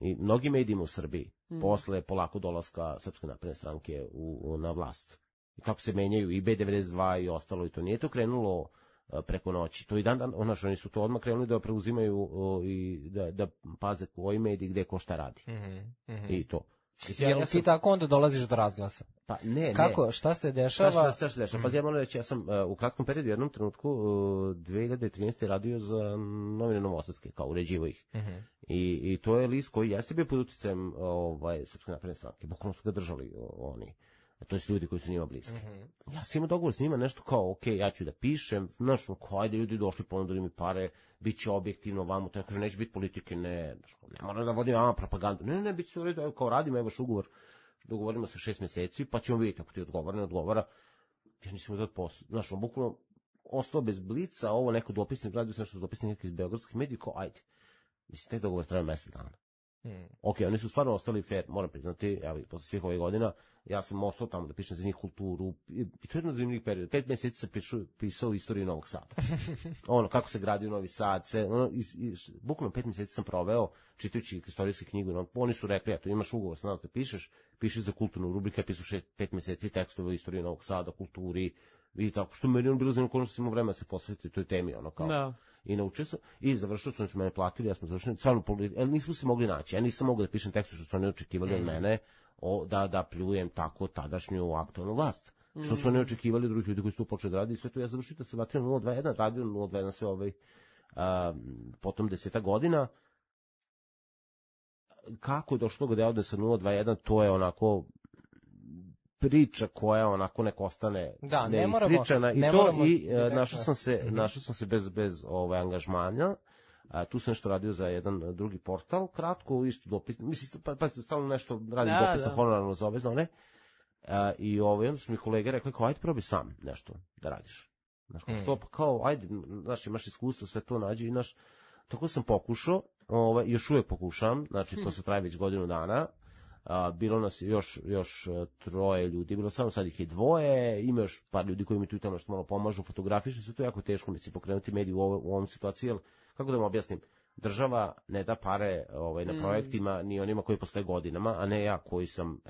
i mnogim medijima u Srbiji posle polako dolaska Srpske napredne stranke na vlast. I kako se menjaju i B92 i ostalo, i to nije to krenulo preko noći. To i oni su to odmah krenuli da preuzimaju i da paze koji mediji gde ko šta radi. I to. Jel ti tako onda dolaziš do razglasa? Pa ne. Kako? Šta se dešava? Šta se dešava? Pa ja moram reći, ja sam u kratkom periodu, u jednom trenutku 2013. radio za novine Novosadske, kao uređivo ih. I to je list koji jeste bio pod uticajem Srpske napredne stranke. Bukvalno su ga držali oni. To je ljudi koji su njima bliski. Ja sam imao dogovor s njima, nešto kao, ok, ja ću da pišem, znaš, ajde, ljudi došli, ponudili mi pare, bit će objektivno vamo, to ja kažem, neće biti politike, ne moram da vodim vama propagandu, ne, bit će u redu, kao radimo, evo ugovor, dogovorimo se 6 meseci, pa ćemo vidjeti ako ti odgovara, ne odgovara, ja nisam uzeti posao, znaš, bukvalno ostao bez Blica, ovo neko dopisnik, radio sam nešto dopisnik neki iz beogradskih medija, kao, ajde, mislim, taj dogovor treba mesec dana. Ok, oni su stvarno ostali fair, moram priznati, evo, posle svih ovih godina, ja sam ostao tamo da pišem za njih kulturu, i to je jedno od zanimljivih perioda. 5 meseci sam pisao istoriju Novog Sada. Kako se gradio Novi Sad, sve, bukvalno 5 meseci sam proveo čitajući istorijske knjigu. Oni su rekli, eto, imaš ugovor sa nas da pišeš za kulturnu rubriku, ja pisao 5 meseci tekstove o istoriji Novog Sada, kulturi, i tako, što meni bilo zanimljivo, koliko sam imao vremena da se posvetiti toj temi, kao. Da. I naučio sam, i završio sam, oni su mene platili, ja smo završili, stvarno, nismo se mogli naći, ja nisam mogao da pišem tekstu što su oni očekivali od mene, da pljujem tako tadašnju aktualnu vlast. Što su oni očekivali drugih ljudi koji su tu počeli da radi i sve to. Ja završio da se vratio na 021, radio na 021 sve potom 10 godina. Kako je došlo gde ovde sa 021, to je onako priča koja onako neko ostane neispričana i našao sam se bez angažmana. Tu sam nešto radio za jedan drugi portal, kratko, isto dopis, mislim, pazite, stalno nešto radim dopisno, honorarno za ove zone, i onda su mi kolege rekli, kao, ajde probi sam nešto da radiš. Znaš, što, pa kao, ajde, znaš, imaš iskustvo, sve to nađi, znaš, tako sam pokušao, još uvijek pokušam, znači, to se traje već godinu dana, bilo nas još 3 ljudi, bilo samo sad ih je 2, ima još par ljudi koji mi tu i tamo što malo pomažu, fotografišu, sve to je jako teško, mislim, pokrenuti mediju u ovom situaciji, jer, kako da vam objasnim, država ne da pare na projektima ni onima koji postoje godinama, a ne ja koji sam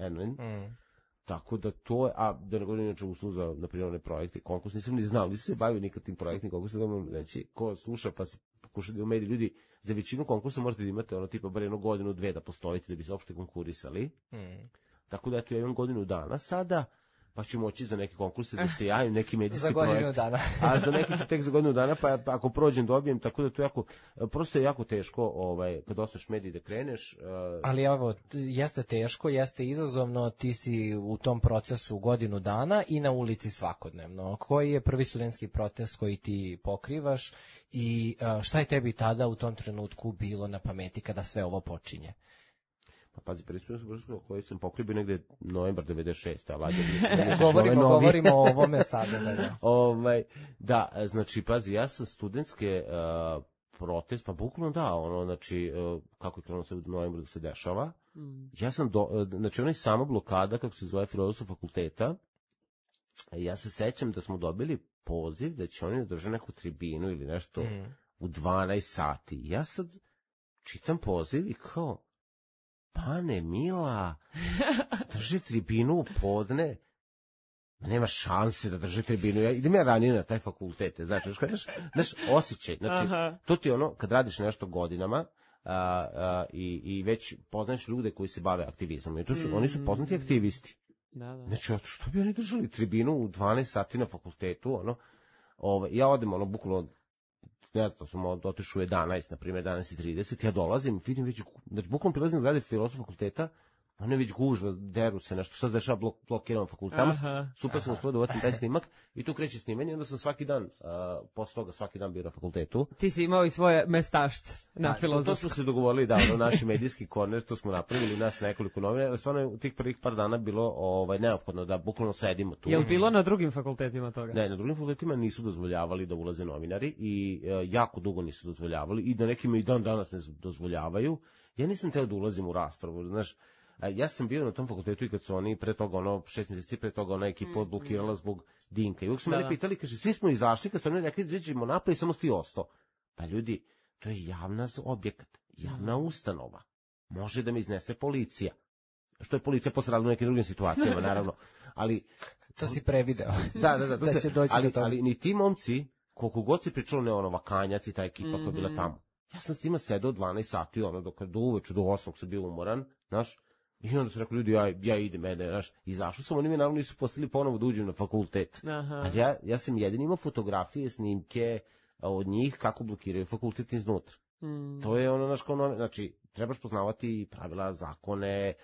tako da to je, a da ne govorim inače usluž za, na primjer, projekte, konkurs, nisam ni znao, nisam se bavio nikad tim projektnim konkursom, da vam reći, ko sluša pa se pokuša da u mediji ljudi, za većinu konkursa možete da imate tipa bar 1 godinu, 2 da postojite da bi se uopšte konkurisali, tako da eto ja imam godinu dana sada, pa ću moći za neke konkurse da se javim, neki medijski projekt. Za godinu dana. A za neki ću tek za godinu dana, pa ako prođem dobijem, tako da to jako, prosto je jako teško kad ostaješ mediji da kreneš. Ali evo, jeste teško, jeste izazovno, ti si u tom procesu godinu dana i na ulici svakodnevno. Koji je prvi studentski protest koji ti pokrivaš i šta je tebi tada u tom trenutku bilo na pameti kada sve ovo počinje? Pa pazi, prvi studentski koji sam pokribio negde novembar 96. Govorimo o ovome sada. Da, znači, pazi, ja sam studentske protest, pa bukvalno da, znači, kako je krenuo se u novembru da se dešava, ja sam, znači, onaj samo blokada, kako se zove Filozofskog fakulteta, ja se sećam da smo dobili poziv da će oni održati neku tribinu ili nešto u 12 sati. Ja sad čitam poziv i kao, Pane Mila, drži tribinu u podne, nema šanse da drži tribinu, idem ja ranije na taj fakultet, znači, osjećaj, znači, to ti je ono, kad radiš nešto godinama, i već poznaješ ljude koji se bave aktivizmom, i oni su poznati aktivisti. Znači, što bi oni držali tribinu u 12 sati na fakultetu, ja odem, bukvalno, ne znam, sam otišao u 11, na primjer 11:30, ja dolazim, vidim već, znači bukvalno prilazim zgrade Filozofskog fakulteta, ono je već gužva, deru se nešto, što se dešava, blokiran fakultama, super sam uspio da uvatim taj snimak i tu kreće snimanje, onda sam svaki dan, posle toga svaki dan bio na fakultetu. Ti si imao i svoje mestašce na Filozofskom. To smo se dogovorili, da, naši medijski korner, to smo napravili, nas nekoliko novina, ali stvarno je u tih prvih par dana bilo neophodno da bukvalno sedimo tu. Je li bilo na drugim fakultetima toga? Ne, na drugim fakultetima nisu dozvoljavali da ulaze novinari i jako dugo nisu dozvoljavali i da nekima i dan danas ne dozvoljavaju. Ja nisam teo da ulazim u raspravu, znaš. Ja sam bio na tom fakultetu i kad su oni pre toga, 6 mjeseci pre toga, ona ekipa odblokirala zbog Dinka. I uvijek su mene pitali, kaže, svi smo izašli, kad su oni rekli, izađemo napad i samo ti ostao. Pa ljudi, to je javna objekat, javna ustanova. Može da me iznese policija. Što je policija posradila u nekim drugim situacijama, naravno. Ali to si prevideo. Da, ali ni ti momci, koliko god si pričalo, Vakanjac i ta ekipa koja je bila tamo. Ja sam s tima sedao 12 sati, do uveče, do 8 sam bio umoran, znaš. I onda su rekli, ljudi, ja idem, znaš, izašao sam, oni mi naravno nisu postali ponovo da uđem na fakultet. Ali ja sam jedin imao fotografije, snimke od njih kako blokiraju fakultet iznutra. To je naš znači, trebaš poznavati pravila, zakone,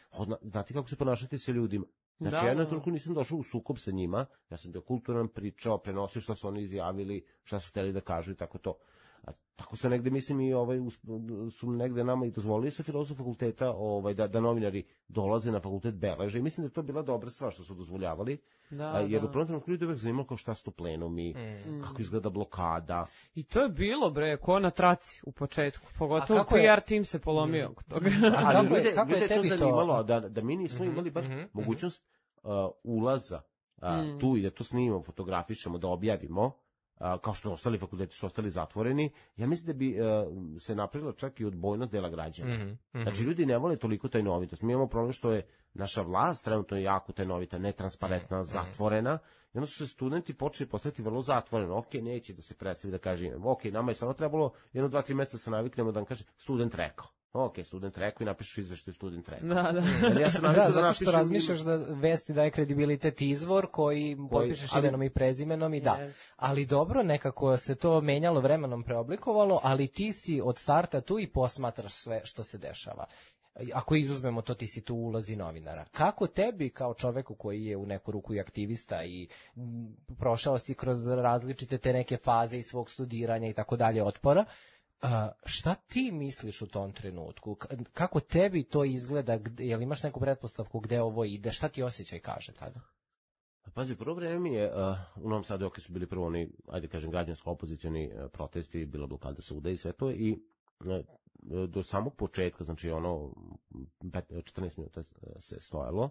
znati kako se ponašati sa ljudima. Znači, ja na toliko nisam došao u sukob sa njima, ja sam bio kulturan, pričao, prenosio šta su oni izjavili, šta su hteli da kažu i tako to. Tako se negde, mislim, i su negde nama i dozvolili sa Filozofskog fakulteta da novinari dolaze na fakultet beleže i mislim da je to bila dobra stvar što su dozvoljavali, jer u prvom trenutku ljudi uvek zanimalo kao šta su to plenumi, kako izgleda blokada. I to je bilo, ko na traci u početku, pogotovo PR tim se polomio oko toga. Ali ljude je to zanimalo, da mi nismo imali bar mogućnost ulaza tu i da to snimamo, fotografišemo, da objavimo, kao što ostali fakulteti su ostali zatvoreni, ja mislim da bi se napravila čak i odbojnost dela građana. Znači, ljudi ne vole toliko tajnovitost. Mi imamo problem što je naša vlast trenutno jako tajnovita, netransparentna, zatvorena, i onda su se studenti počeli postati vrlo zatvoreni. Ok, neće da se predstavi da kaže, ok, nama je stvarno trebalo 1-2-3 meseca se naviknemo da nam kaže student rekao. Ok, student rekao i napišeš izveštaj student rekao. Zato što razmišljaš da vesti daje kredibilitet izvor koji potpišeš imenom i prezimenom i ali dobro, nekako se to menjalo, vremenom preoblikovalo, ali ti si od starta tu i posmatraš sve što se dešava. ako izuzmemo to, ti si tu ulozi novinara. Kako tebi kao čoveku koji je u neku ruku i aktivista i prošao si kroz različite te neke faze i svog studiranja i tako dalje otpora, šta ti misliš u tom trenutku? Kako tebi to izgleda? Jel imaš neku pretpostavku gde ovo ide? Šta ti osjećaj kaže tada? Pazi, prvo vreme mi je, u Novom Sadu su bili prvo oni, ajde kažem, građansko-opozicioni protesti, bila blokada suda i sve to, i do samog početka, znači ono, 14 minuta se stojalo,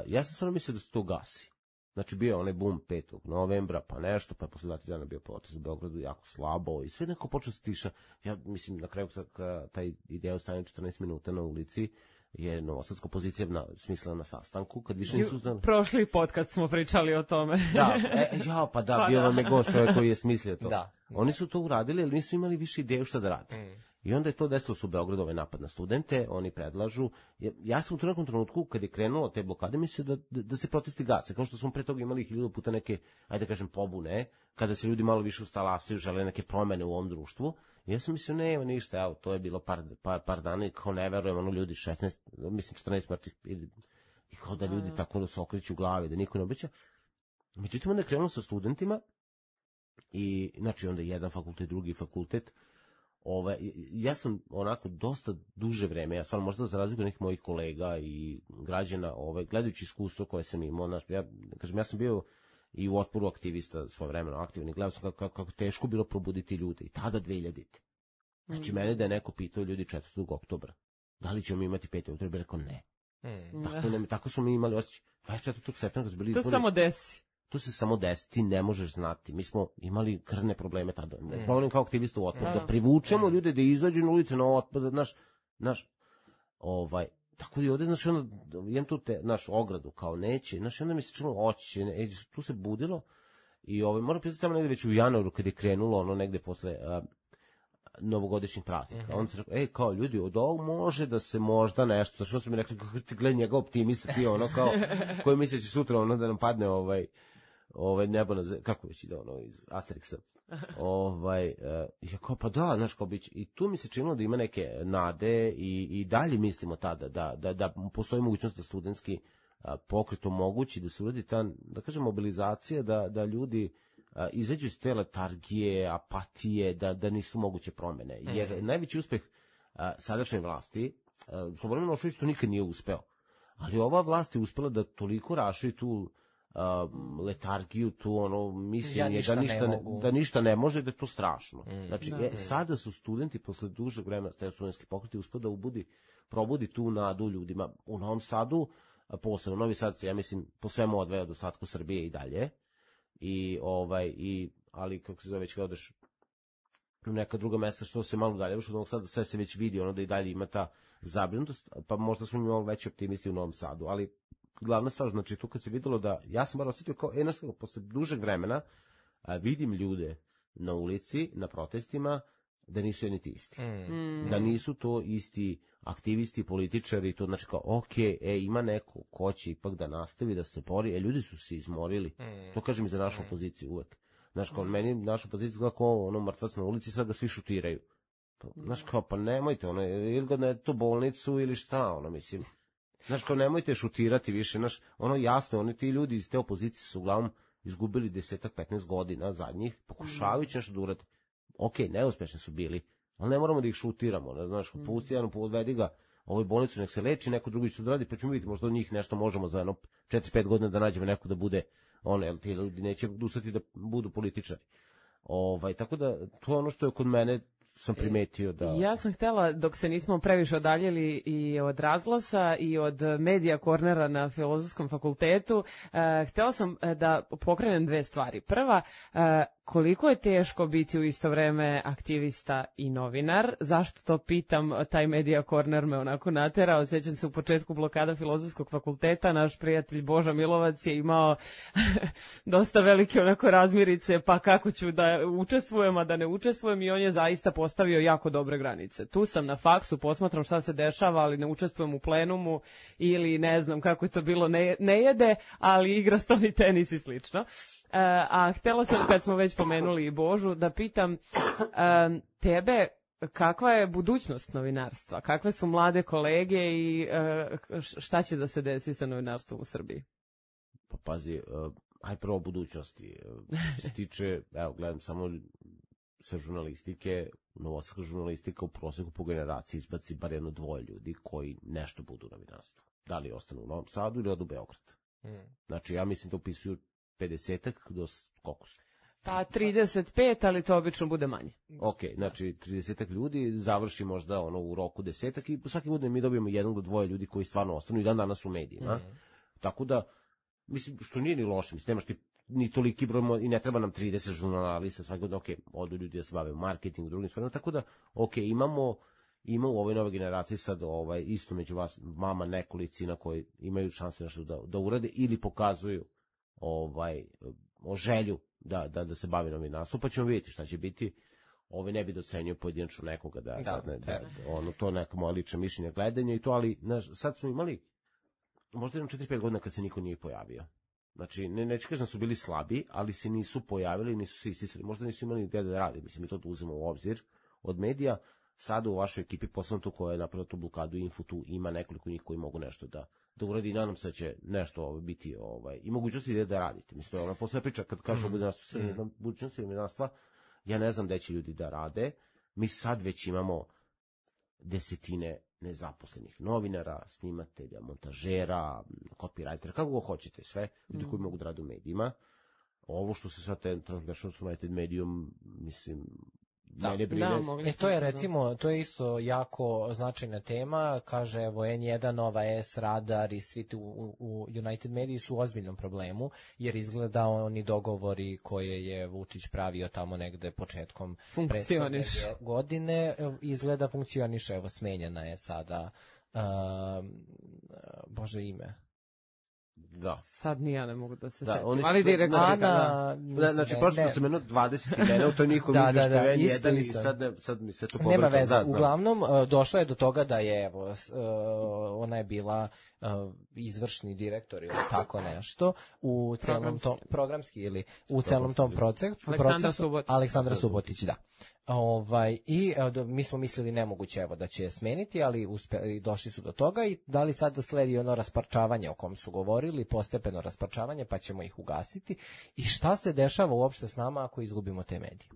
ja sam stvarno mislio da se to gasi. Znači bio onaj bum 5. novembra, pa nešto, pa je posle 2 dana bio protest u Beogradu jako slabo i sve neko počeo se tiša. Ja mislim, na kraju taj ideja ostane 14 minuta na ulici, je novosadska opozicija smislila na sastanku, kad više nisu znali. Prošli podcast smo pričali o tome. Da, bio vam je gost čovjek koji je smislio to. Da. Oni su to uradili, ali nisu imali više ideju šta da rade. I onda je to desilo su u Beogradu, ovaj napad na studente, oni predlažu. Ja sam u nekom trenutku, kad je krenulo te blokade, mislio da se protesti gase, kao što smo pre toga imali 1000 puta neke, ajde kažem, pobune, kada se ljudi malo više ustalasaju, žele neke promene u ovom društvu. I ja sam mislio, nema ništa, evo, to je bilo par dana i kao ne verujem, ono ljudi 14 mrtvih, i kao da ljudi tako da se okreću u glavi, da niko ne obeća. Međutim, onda je krenulo sa studentima i, znači, onda jedan fakultet, drugi fakultet. Ja sam onako dosta duže vreme, ja stvarno možda za razliku od nekih mojih kolega i građana, gledajući iskustvo koje sam imao, ja sam bio i u Otporu aktivista svojevremeno aktivan i gledao sam kako teško bilo probuditi ljude i tada 2000. Znači mene da je neko pitao ljudi 4. oktobra, da li ćemo mi imati 5. oktobra, rekao ne. Tako smo mi imali osjećaj. 24. septembra su bili izbori. To samo desi. To se samo desi, ti ne možeš znati. Mi smo imali krvne probleme tada. Problem kao aktivista u Otporu, da privučemo ljude da izađu na ulicu na Otpor, tako i ovde, znači, onda, imam tu naš ogradu, kao neće, znači, onda mi se činilo oće, tu se budilo, i moram pisati tamo negde već u januaru, kad je krenulo, ono, negde posle novogodišnjih praznika. Onda se rekao, kao ljudi, od ovog može da se možda nešto, znači, što su mi rekli, kako ti gleda njega optimista, ti ono, kao, koji misle će sutra, ono, da nam padne, nebo na kako već ide, ono, iz Asterixa. Ja kao, pa da, znaš, kao biće. I tu mi se činilo da ima neke nade i dalje mislimo tada da postoji mogućnost da studentski pokret omogući da se uradi ta, da kažem, mobilizacija, da ljudi izađu iz te letargije, apatije, da nisu moguće promene. Jer najveći uspeh sadašnje vlasti, Slobodan Milošević to nikad nije uspeo. Ali ova vlast je uspela da toliko raširi tu letargiju, tu ono mišljenje da ništa ne može, da je to strašno. Znači, sada su studenti posle dužeg vremena, taj studentski pokret uspeo da probudi tu nadu ljudima. U Novom Sadu, posebno Novi Sad se, ja mislim, po svemu odvaja od ostatku Srbije i dalje. Ali kako se zove, već kada odeš u neka druga mesta, što se malo dalje, od Novog Sada, sve se već vidi, ono da i dalje ima ta zabrinutost, pa možda smo imali veći optimisti u Novom Sadu, ali glavna stvar, znači tu kad se videlo da, ja sam bar osjetio kao, posle dužeg vremena vidim ljude na ulici, na protestima, da nisu jedni ti isti. Da nisu to isti aktivisti, političari, to znači kao, ima neko ko će ipak da nastavi da se bori, ljudi su se izmorili. To kažem i za našu opoziciju uvek. Znaš, kao meni naša opozicija gleda kao ono mrtvac na ulici, sad da svi šutiraju. Znaš, kao, pa nemojte, ili ga na tu bolnicu ili šta, mislim. Znaš, kao, nemojte šutirati više, znaš, jasno, ti ljudi iz te opozicije su uglavnom izgubili 10-15 godina zadnjih, pokušavajući nešto da urade. Neuspešni su bili, ali ne moramo da ih šutiramo, znaš, pusti jedan, odvedi ga ovoj bolnicu, nek se leči, neko drugi će to radi, pa ćemo vidjeti, možda od njih nešto možemo za 4-5 godina da nađemo neko da bude, jer ti ljudi neće ustati da budu političari. Tako da, to je ono što je kod mene sam primetio da... Ja sam htjela, dok se nismo previše odaljili i od Razglasa i od Medija Kornera na Filozofskom fakultetu, htjela sam da pokrenem 2 stvari. Prva, koliko je teško biti u isto vreme aktivista i novinar? Zašto to pitam? Taj Medija Korner me onako naterao. Sjećam se u početku blokada Filozofskog fakulteta, naš prijatelj Boža Milovac je imao dosta velike onako razmirice, pa kako ću da učestvujem, a da ne učestvujem, i on je zaista postavio jako dobre granice. Tu sam na faksu, posmatram šta se dešava, ali ne učestvujem u plenumu ili ne znam kako je to bilo, ne jede, ali igra stolni tenis i slično. A htjela sam, kad smo već pomenuli i Božu, da pitam tebe, kakva je budućnost novinarstva? Kakve su mlade kolege i šta će da se desi sa novinarstvom u Srbiji? Pa pazi, aj prvo budućnosti. Što se tiče, evo, gledam samo sa žurnalistike, novosadska žurnalistika u proseku po generaciji izbaci bar jedno dvoje ljudi koji nešto budu u novinarstvu. Da li ostanu u Novom Sadu ili odu u Beograd. Znači, ja mislim da upisuju 50-ak do koliko su? Pa 35, ali to obično bude manje. Ok, znači 30-ak ljudi završi možda u roku 10-ak i svaki godine mi dobijemo jednog do dvoje ljudi koji stvarno ostanu i dan danas u medijima. Tako da, mislim, što nije ni loše, mislim, nemaš ti ni toliki broj i ne treba nam 30 žurnalista svaki godine, ok, odu ljudi da se bave marketingu, drugim stvarima, tako da, ok, imamo u ovoj nove generaciji sad isto među vama nekolicina koji imaju šanse nešto da urade ili pokazuju želju da se bavi novinarstvom, pa ćemo vidjeti šta će biti. Ne bi docenio pojedinačno nekoga to je neka moja lična mišljenja gledanja i to, ali sad smo imali možda 4-5 godina kad se niko nije pojavio. Znači, neću kažem da su bili slabi, ali se nisu pojavili, nisu se isticali, možda nisu imali gde da radi, mislim, mi to uzmemo u obzir od medija. Sada u vašoj ekipi, posebno tu koja je napravila tu blokadu Info, tu ima nekoliko njih koji mogu nešto da uradi i nadam se da će nešto biti i mogućnosti da radite. Mislim, to je ona poslednja priča kad kažu o budućnosti novinarstva, ja ne znam gde će ljudi da rade, mi sad već imamo desetine nezaposlenih novinara, snimatelja, montažera, copywritera, kako go hoćete, sve ljudi koji mogu da rade u medijima. Ovo što se sad dešava s United Medijom, mislim, mene brine. To je recimo, to je isto jako značajna tema, kaže evo N1, Nova S, Radar i svi u United Mediji su u ozbiljnom problemu, jer izgleda oni dogovori koje je Vučić pravio tamo negde početkom prethodne godine, izgleda funkcioniše, evo smenjena je sada, Bože ime. Da. Sad ni ja ne mogu da se setim. Ali direktor znači prošlo se minut 20 imena u toj njihovi izveštaju N1 i sad mi se to povrlo. Nema veze. Uglavnom, došlo je do toga da je, evo, ona je bila izvršni direktor ili tako nešto u celom tom programski ili u celom tom procesu Aleksandra Subotić, da. I mi smo mislili nemoguće evo da će smeniti, ali došli su do toga i da li sad sledi ono rasparčavanje o kom su govorili, postepeno rasparčavanje, pa ćemo ih ugasiti i šta se dešava uopšte s nama ako izgubimo te medije?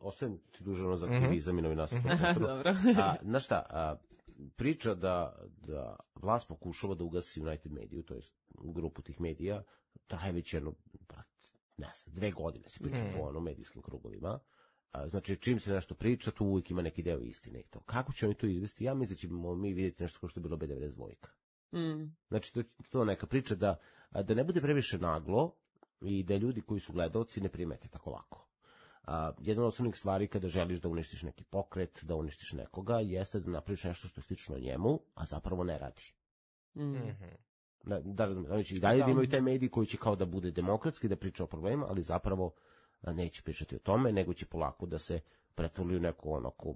Ostajem ti dužano za aktivizam i novinarstvo. Dobro. Znaš šta, priča da vlast pokušava da ugasi United Mediju, to je grupu tih medija, traje već jedno, ne znam, 2 godine se priča po medijskim krugovima. Znači, čim se nešto priča, tu uvijek ima neki deo istine i to. Kako će oni to izvesti? Ja mislim da ćemo mi vidjeti nešto kao što je bilo B92. Znači, to je neka priča da ne bude previše naglo i da ljudi koji su gledaoci ne primete tako lako. Jedna od osnovnih stvari kada želiš da uništiš neki pokret, da uništiš nekoga, jeste da napraviš nešto što je slično njemu, a zapravo ne radi. Da razumiješ, i dalje da imaju taj mediji koji će kao da bude demokratski, da priča o problemima, ali zapravo neće pričati o tome, nego će polako da se pretvori u neku onako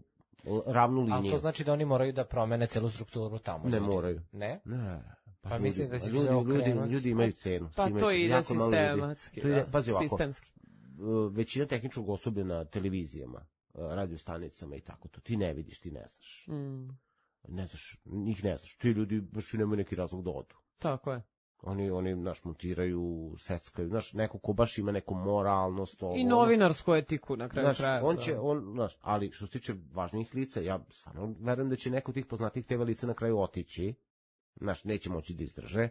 ravnu liniju. Ali to znači da oni moraju da promene celu strukturu tamo? Ne moraju. Ne? Ne. Pa mislim da će se okrenuti. Ljudi imaju cenu. Pa to ide sistematski. Pazi ovako, sistemski. Većina tehničkog osoblja na televizijama, radio stanicama i tako to, ti ne vidiš, ti ne znaš. Ne znaš, njih ne znaš. Ti ljudi baš nemaju neki razlog da odu. Tako je. Oni montiraju, seckaju, neko ko baš ima neku moralnost. I novinarsku etiku na kraju kraja. Ali što se tiče važnijih lica, ja stvarno verujem da će neko od tih poznatih TV lica na kraju otići. Neće moći da izdrže,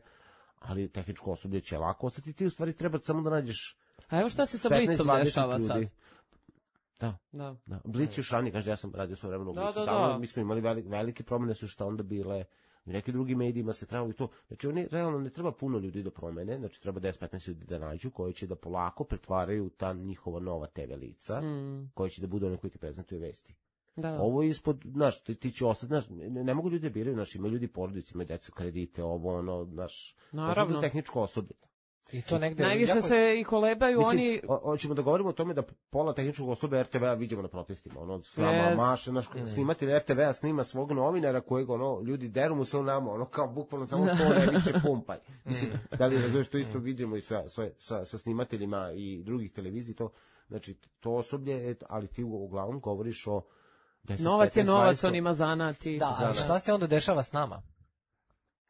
ali tehničko osoblje će lako ostati. Ti u stvari treba samo da nađeš. A evo šta se sa Blicom dešava sad? Da. Blic još ranije, kaže, ja sam radio svoje vremeno u Blicu. Mi smo imali velike promjene su šta onda bile. I neki drugi medijima se trebalo i to. Znači, oni realno ne treba puno ljudi da promene, znači treba 10-15 ljudi da nađu, koji će da polako pretvaraju ta njihova nova TV lica, koji će da budu oni koji ti prezentuju vesti. Da. Ovo je ispod, ti će ostati, ne mogu ljudi da biraju, imaju ljudi porodice, imaju deca, kredite, naravno. Tehničko osoblje. I to negde najviše se i kolebaju oni. Hoćemo da govorimo o tome da pola tehničkog osoblja RTV-a vidimo na protestima, slama maše, snimatelj RTV-a snima svog novinara kojeg ljudi deru mu se nama, kao bukvalno samo što ne viče pumpaj. Mislim, da li razumiješ, to isto vidimo i sa snimateljima i drugih televizij, to znači to osoblje, ali ti uglavnom govoriš o Novac je novac, on ima zanati. Da, ali šta se onda dešava s nama?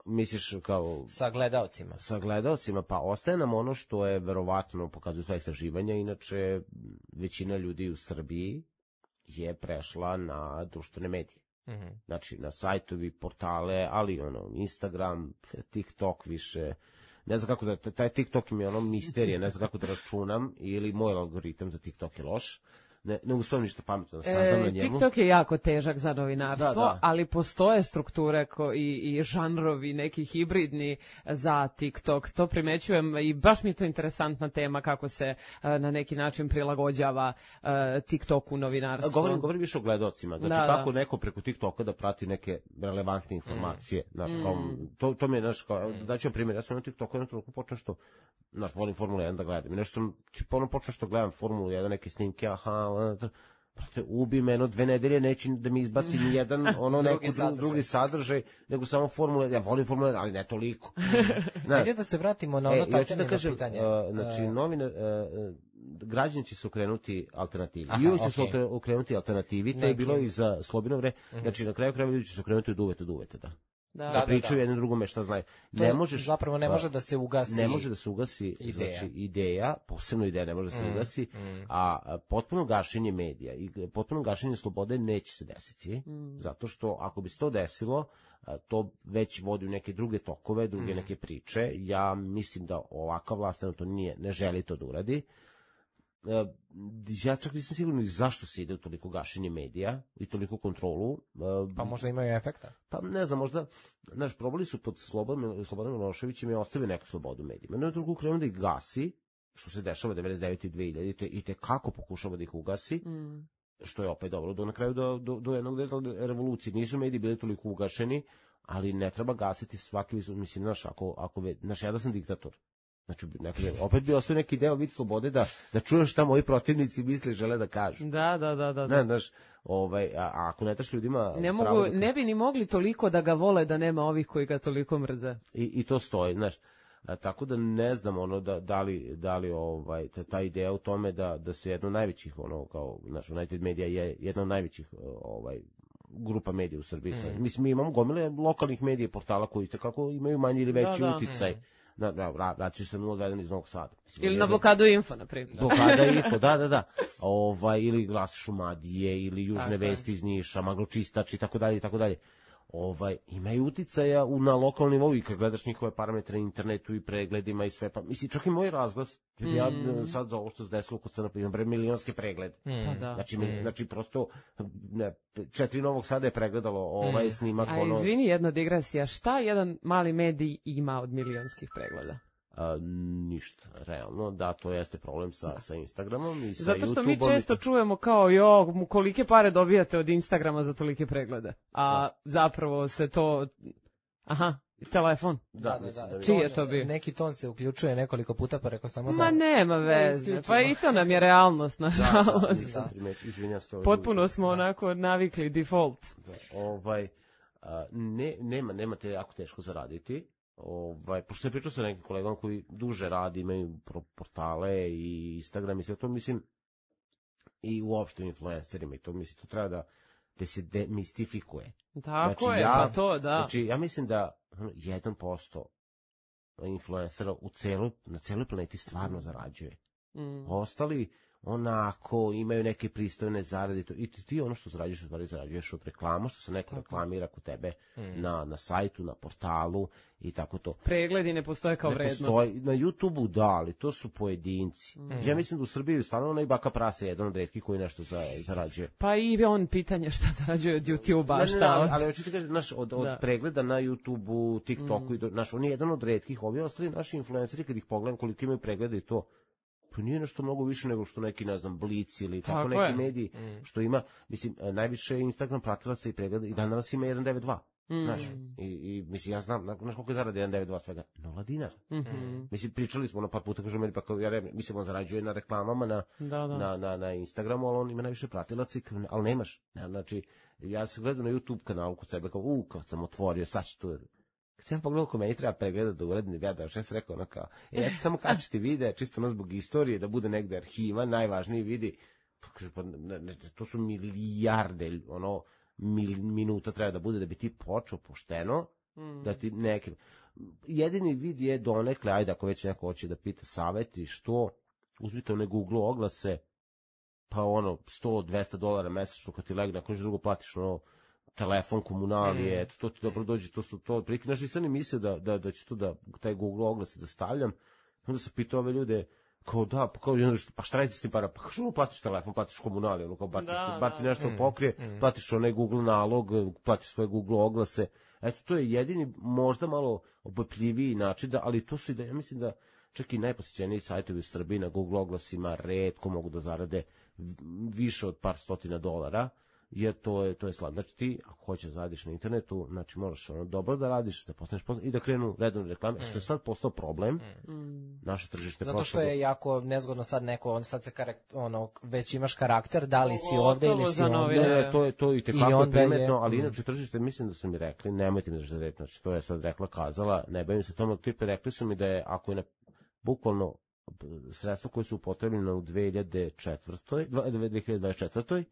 Misliš kao... Sa gledaocima. Sa gledaocima, pa ostaje nam ono što je verovatno, pokazuju sva istraživanja, inače većina ljudi u Srbiji je prešla na društvene medije. Znači, na sajtovi, portale, ali Instagram, TikTok više... Ne znam kako da, taj TikTok mi je misterija, ne znam kako da računam, ili moj algoritam za TikTok je loš. Ne uspijem ništa pametno da saznam na njemu. TikTok je jako težak za novinarstvo, da. ali postoje strukture i žanrovi neki hibridni za TikTok. To primećujem i baš mi je to interesantna tema kako se na neki način prilagođava TikToku novinarstvo. Govorim više o gledocima. Znači kako neko preko TikToka da prati neke relevantne informacije. To mi je, daću primjer, ja sam na TikToku jednom trenutku počeo što, volim Formulu 1 da gledam. I nešto sam, počeo što gledam Formulu 1, neke snimke, ubi me, 2 nedelje neće da mi izbaci ni jedan drugi sadržaj, nego samo Formula 1. Ja volim Formula 1, ali ne toliko. Ajde da se vratimo na ono tajtenje pitanje. Znači, građani će se okrenuti alternativi. I uvijek će se okrenuti alternativi, to je bilo i za Slobino vreme. Znači, na kraju ljudi će se okrenuti od uvete, da. Da pričaju jedno drugome šta znaju. Ne može da se ugasi. Ne može da se ugasi ideja, posebno ideja ne može da se ugasi, a potpuno gašenje medija i potpuno gašenje slobode neće se desiti, zato što ako bi se to desilo, to već vodi u neke druge tokove, druge neke priče. Ja mislim da ovakva vlast to ne želi to da uradi. Ja čak nisam siguran zašto se ide u toliko gašenje medija i toliko kontrolu. Pa možda imaju efekta. Pa ne znam, možda, probali su pod Slobodanom Miloševićem i ostavili neku slobodu medijima. Na drugu krenu da ih gasi, što se dešava 99. i 2000. i te kako pokušava da ih ugasi, što je opet dobro, na kraju do jednog revolucije. Nisu mediji bili toliko ugašeni, ali ne treba gasiti svaki, mislim, ja da sam diktator. Znači, opet bi ostao neki deo vid slobode da čuješ šta moji protivnici misle i žele da kažu. Da. Ne, znaš, a ako ne daš ljudima... Ne bi ni mogli toliko da ga vole da nema ovih koji ga toliko mrze. I to stoji, znaš. Tako da ne znam da li ta ideja u tome da se jedno od najvećih, kao, znaš, United Media je jedna od najvećih grupa medija u Srbiji. Mislim, mi imamo gomile lokalnih medija, portala koji kako imaju manji ili veći uticaj. Vraćaju se 021 iz Novog Sada. Ili na blokadu Info, na primjer. Blokada Info, da. Ili Glas Šumadije, ili Južne vesti iz Niša, Magločistač i tako dalje. Imaju uticaja na lokalnom nivou i kad gledaš njihove parametre na internetu i pregledima i sve, pa mislim, čak i moj razglas, ja sad za ovo što se desilo kod Crna, imam milionske preglede. Znači, prosto 4 Novog Sada je pregledalo ovaj snimak. A izvini, jedna digresija, šta jedan mali medij ima od milionskih pregleda? Ništa, realno, da, to jeste problem sa Instagramom i sa YouTubeom. Zato što mi često čujemo kao, kolike pare dobijate od Instagrama za tolike preglede, a zapravo se to, telefon. Da. Čiji je to bio? Neki ton se uključuje nekoliko puta, pa rekao samo da... Ma nema veze, pa i to nam je realnost, nažalost. Potpuno smo onako navikli, default. Nema te jako teško zaraditi. Pošto sam pričao sa nekim kolegom koji duže radi, imaju portale i Instagram i sve to, mislim, i uopšte influencerima i to, mislim, to treba da se demistifikuje. Tako je, pa to, da. Znači, ja mislim da 1% influencera na celoj planeti stvarno zarađuje. Ostali onako imaju neke pristojne zarade i ti ono što zarađuješ od reklama, što se neko reklamira kod tebe na sajtu, na portalu i tako to. Pregledi ne postoje kao vrednost. Na YouTubeu da, ali to su pojedinci. Ja mislim da u Srbiji stvarno onaj Baka Prase je jedan od retkih koji nešto zarađuje. Pa i on pitanje šta zarađuje od YouTubea, šta? Ali hoćete kažem, od pregleda na YouTubeu, TikToku, on je jedan od retkih, ovi ostali naši influenceri, kad ih pogledam koliko imaju pregleda i to, to nije nešto mnogo više nego što neki, ne znam, Blic ili tako neki mediji, što ima, mislim, najviše Instagram pratilaca i pregleda i danas ima 192. Znaš, i mislim, ja znam, znaš koliko je zarade 192 svega? 0 dinara. Mislim, pričali smo par puta, kažu meni, pa kao, mislim, on zarađuje na reklamama na Instagramu, ali on ima najviše pratilaca, ali nemaš. Znači, ja se gledam na YouTube kanalu kod sebe, kao, kad sam otvorio, sad ću tu. Kad sam pogledao ko meni treba pregledati da uradim, ja sam rekao ono kao, ja ću samo kačiti videa, čisto ono zbog istorije, da bude negde arhiva, najvažniji vidi, to su milijarde, minuta treba da bude da bi ti počeo pošteno, da ti neke... Jedini vid je donekle, ajde, ako već neko hoće da pita saveti, što uzmite one Google oglase, pa $100-200 mesečno kad ti legne, ako nešto drugo platiš, telefon, komunalije, to ti dobro dođe, to prikri. Znaš, nisam ni mislio da ću to taj Google oglase da stavljam, onda sam pitao ove ljude, kao da, pa šta radite s tim para? Pa što platiš telefon, platiš komunalije, kao bar ti nešto pokrije, platiš onaj Google nalog, platiš svoje Google oglase. Eto, to je jedini, možda malo opipljiviji način, ali to su i da, ja mislim da čak i najposjećeniji sajtovi u Srbiji na Google oglasima retko mogu da zarade više od par $100, jer to je slavno. Znači ti, ako hoćeš da radiš na internetu, znači moraš dobro da radiš, da postaneš poznat i da krenu redovne reklame, što je sad postao problem. Naše tržište zato što je jako nezgodno sad neko, sad se već imaš karakter, da li si ovde ili si ovde. To je i tekako primetno, ali inače tržište, mislim da su mi rekli, nemojte mi da reći, znači to je sad rekla, kazala, ne bavim se tome, tipe rekli su mi da je, ako je bukvalno sredstva koje su upotrebljene u 2024.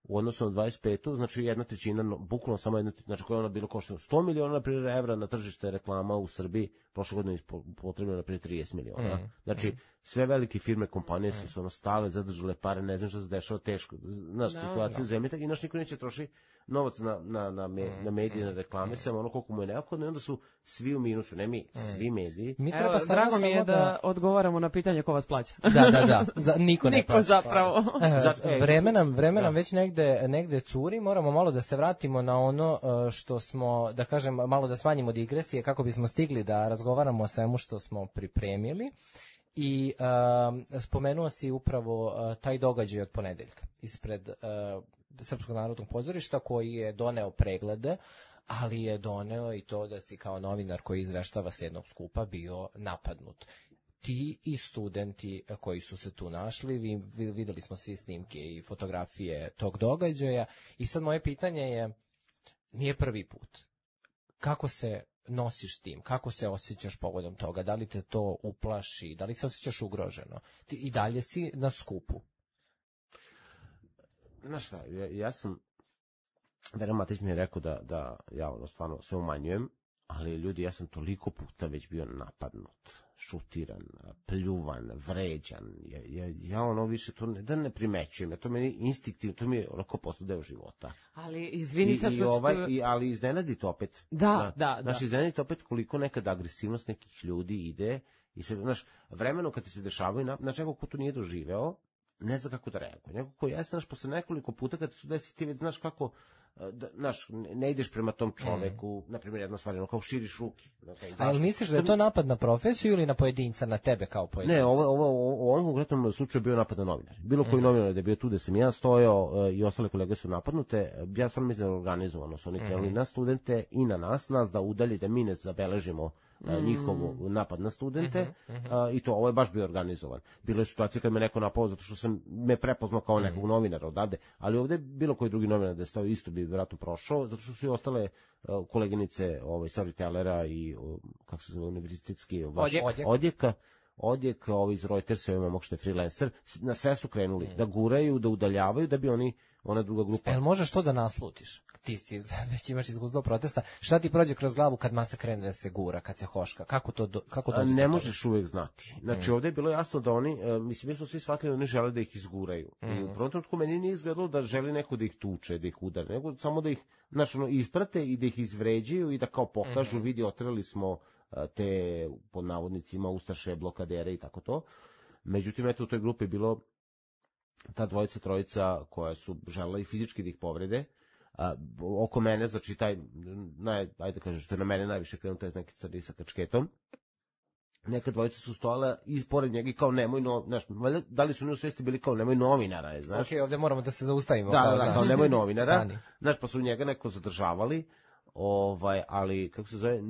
u odnosu na 25. znači 1/3, bukvalno samo 1/3, znači koja je ona bilo košteno 100 miliona na primjer evra na tržište reklama u Srbiji, prošle godine potrebno na primjer 30 miliona. Znači sve velike firme, kompanije su se stale, zadržale pare, ne znam što se dešava, teško, znaš, situacija u zemlji, i naš niko neće troši novac na medije, na reklame, samo koliko mu je neophodno, i onda su svi u minusu, ne mi, svi mediji. Drago mi je da odgovaramo na pitanje ko vas plaća. Da, niko ne plaća. Niko zapravo. Vreme nam već negde curi, moramo malo da se vratimo na ono što smo, da kažem, malo da smanjimo digresije kako bismo stigli da razgovaramo o svemu što smo pripremili. I spomenuo si upravo taj događaj od ponedeljka ispred Srpskog narodnog pozorišta, koji je doneo preglede, ali je doneo i to da si kao novinar koji izveštava s jednog skupa bio napadnut. Ti i studenti koji su se tu našli, videli smo svi snimke i fotografije tog događaja, i sad moje pitanje je, nije prvi put, kako se nosiš s tim, kako se osjećaš povodom toga, da li te to uplaši, da li se osjećaš ugroženo, ti i dalje si na skupu? Znaš šta, ja sam, Veran Matić mi je rekao da ja stvarno sve umanjujem, ali ljudi, ja sam toliko puta već bio napadnut, šutiran, pljuvan, vređan, ja više to ne primećujem, to meni instinktivno, to mi je onako postao deo života. Ali izvini sad što... Ali iznenadite opet. Da. Znaš, iznenadite opet koliko nekada agresivnost nekih ljudi ide, i sve, znaš, vremeno kad ti se dešavaju, znači nekog ko to nije doživeo, ne zna kako da reaguje. Neko ko jeste, znaš, posle nekoliko puta kad se desi, ti već znaš kako, znaš, ne ideš prema tom čoveku, na primjer, jedna stvar, ono, kao širiš ruke. Ali misliš da je to napad na profesiju ili na pojedinca, na tebe kao pojedinca? Ne, u ovom konkretnom slučaju bio napad na novinar. Bilo koji novinar da je bio tu da sam ja stojao i ostale kolege su napadnute, ja stvarno mislim da je organizovano, su oni krenuli na studente i na nas da udalji, da mi ne zabeležimo njihov napad na studente, i to, ovo je baš bio organizovan. Bilo je situacije kad me neko napao zato što sam me prepoznao kao nekog novinara odavde, ali ovde bilo koji drugi novinar da je stao isto bi vjerojatno prošao, zato što su i ostale koleginice storytellera i kako se zove, univerzitetski odjek iz Reutersa, imamo što je freelancer, na sve su krenuli da guraju, da udaljavaju, da bi ona druga grupa. Jel možeš to da naslutiš? Ti si već imaš iskustvo protesta. Šta ti prođe kroz glavu kad masa krene da se gura, kad se hoška? Kako dođe? Ne možeš uvek znati. Znači, ovde je bilo jasno da oni, mislim, mi smo svi shvatili da oni žele da ih izguraju. I u prvom trenutku meni nije izgledalo da želi neko da ih tuče, da ih udari, nego samo da ih, znači, isprate i da ih izvređuju i da kao pokažu, vidi, otrali smo te, pod navodnicima, ustaše, blokadere i tako to. Međutim, eto, u toj grupi je bilo ta dvojica, trojica koja su želela i fizički da ih povrede. Oko mene, znači taj, ajde kažem, što je na mene najviše krenuo, taj neki crni sa kačketom. Neka dvojica su stojala ispored njega i kao nemoj, znaš, da li su oni u svesti bili kao nemoj novinara, znaš? Ok, ovde moramo da se zaustavimo. Kao nemoj novinara, znaš, pa su njega neko zadržavali, ali, kako se zove,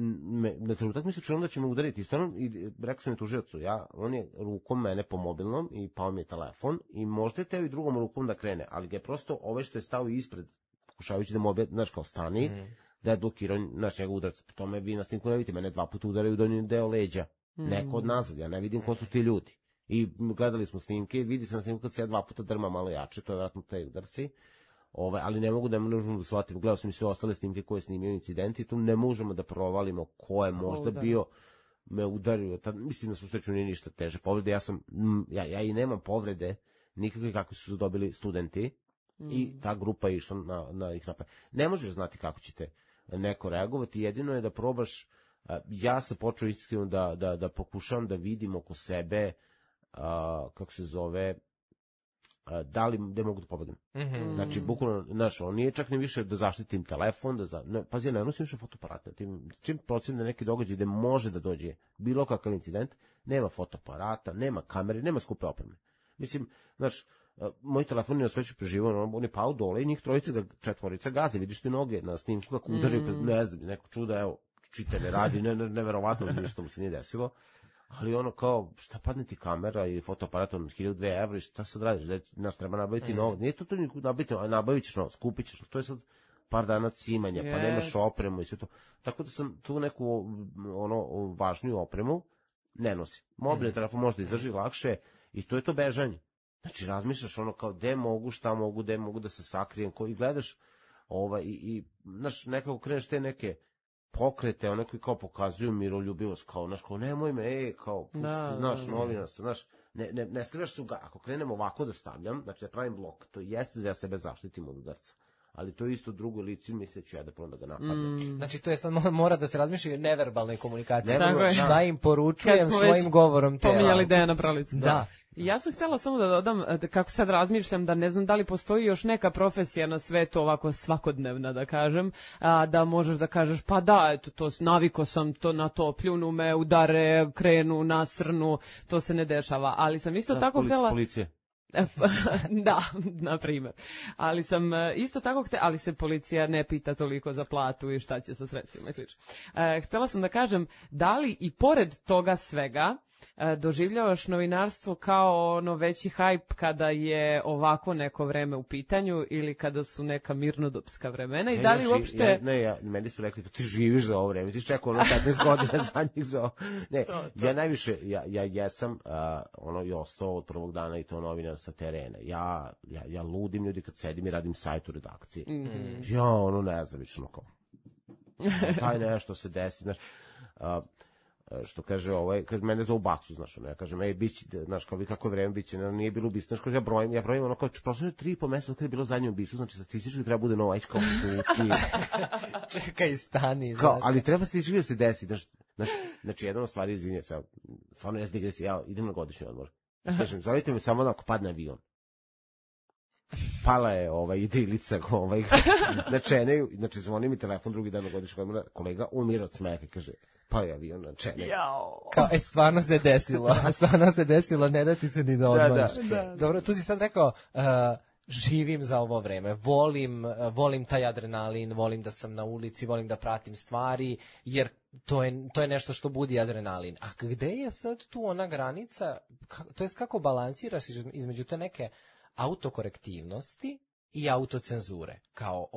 na trenutak mi se čujem da će me udariti, stvarno, i rekao sam mi tužiocu, on je rukom mene po mobilnom i pao mi je telefon i možda je teo i drugom rukom da krene, ali ga je prosto što je stao ispred, pokušavajući da mu objeti, znaš, kao stani, da je blokirao, znaš, njega udarca. Po tome vi na snimku ne vidite, mene 2 puta udaraju u donji deo leđa. Neko od nazad, ja ne vidim ko su ti ljudi. I gledali smo snimke, vidi se na snimku kad se ja 2 puta drma malo jače, to je vjerojatno te udarci. Ali ne mogu da možemo da shvatimo, gledao sam i sve ostale snimke koje snimio incidenti, tu ne možemo da provalimo ko je možda bio me udario, mislim da su sreću nije ništa teže povrede, ja i nemam povrede nikakve kakve su dobili studenti i ta grupa je išla na ih napad. Ne možeš znati kako ćete neko reagovati, jedino je da probaš, ja se počeo iskreno da pokušavam da vidim oko sebe, kako se zove, gde mogu da pobegnem. Znači, bukvalno, on nije čak ni više da zaštitim telefon, pazi, ja ne nosim više fotoaparata. Čim procene neki događaj gde može da dođe bilo kakav incident, nema fotoaparata, nema kamere, nema skupe opreme. Mislim, znaš, moj telefon je na sveću preživao, on je pao dole i njih četvorica gaze, vidiš ti noge na snimku kako udaraju, ne znam, neko čuda, evo, čitanje radi, neverovatno, ništa mu se nije desilo. Ali ono kao, šta padne ti kamera i fotoaparat od 1.000-2 evra i šta sad radiš, nas treba nabaviti novac, nije to nabaviti, ali nabavit ćeš novac, kupit ćeš, to je sad par dana cimanja, pa nemaš opremu i sve to. Tako da sam tu neku važniju opremu ne nosim. Mobilni telefon možda izdrži lakše i to je to bežanje. Znači razmišljaš ono kao gde mogu, šta mogu, gde mogu da se sakrijem, i gledaš i znaš, nekako kreneš te neke pokrete, one koji kao pokazuju miroljubivost, kao, znaš, kao, nemoj me, kao, naš novina, znaš, ne stavljaš se ako krenem ovako da stavljam, znači da pravim blok, to jeste da ja sebe zaštitim od udarca, ali to je isto drugo lice, misleću ja da prvo da ga napadnem. Znači, to je sad mora da se razmišlja o neverbalnoj komunikaciji. Šta im poručujem svojim govorom tela. Pominjali Dejana Pralicu. Da. Ja sam htjela samo da dodam, kako sad razmišljam, da ne znam da li postoji još neka profesija na svetu ovako svakodnevna, da kažem, da možeš da kažeš, pa da, eto, to naviko sam to na to, pljunu me, udare, krenu, nasrnu, to se ne dešava, ali sam isto tako htjela... Policije. Da, na primjer. Ali sam isto tako ali se policija ne pita toliko za platu i šta će sa sredstvima i slično. Htjela sam da kažem, da li i pored toga svega doživljavaš novinarstvo kao ono veći hajp kada je ovako neko vreme u pitanju ili kada su neka mirnodopska vremena i da li uopšte... Meni su rekli, ti živiš za ovo vreme, ti čekao 15 godina za njih za ovo. Ne, ja najviše, ja jesam i ostao od prvog dana i to novinar sa terena. Ja ludim ljudi kad sedim i radim sajt u redakciji. Ja, nezavično kao. Taj nešto se desi, znaš, što kaže kad mene zovu baksu, znaš, ja kažem, biće, znaš, kao vi kako je vreme biće, nije bilo ubistvo, znaš, kao ja brojim, ono kao, prošlo je 3,5 meseca kada je bilo zadnje ubistvo, znači statistički treba bude novo, kao čekaj, stani, znaš. Ali treba statistički da se desi, znači, jedna od stvari, izvinje, stvarno ja zdigre se, ja idem na godišnji odmor, kažem, zovite me samo da ako padne avion. Pala je idrilica na Čeneju, znači zvoni mi telefon drugi dan na godišnji odmor, kolega umira od smeka, kaže, pa je avion na Čeneju. Kao, stvarno se desilo, ne da ti se ni da odmoriš. Dobro, tu si sad rekao, živim za ovo vreme, volim taj adrenalin, volim da sam na ulici, volim da pratim stvari, jer to je nešto što budi adrenalin. A gde je sad tu ona granica, to jest kako balansiraš između te neke autokorektivnosti i autocenzure. Kao,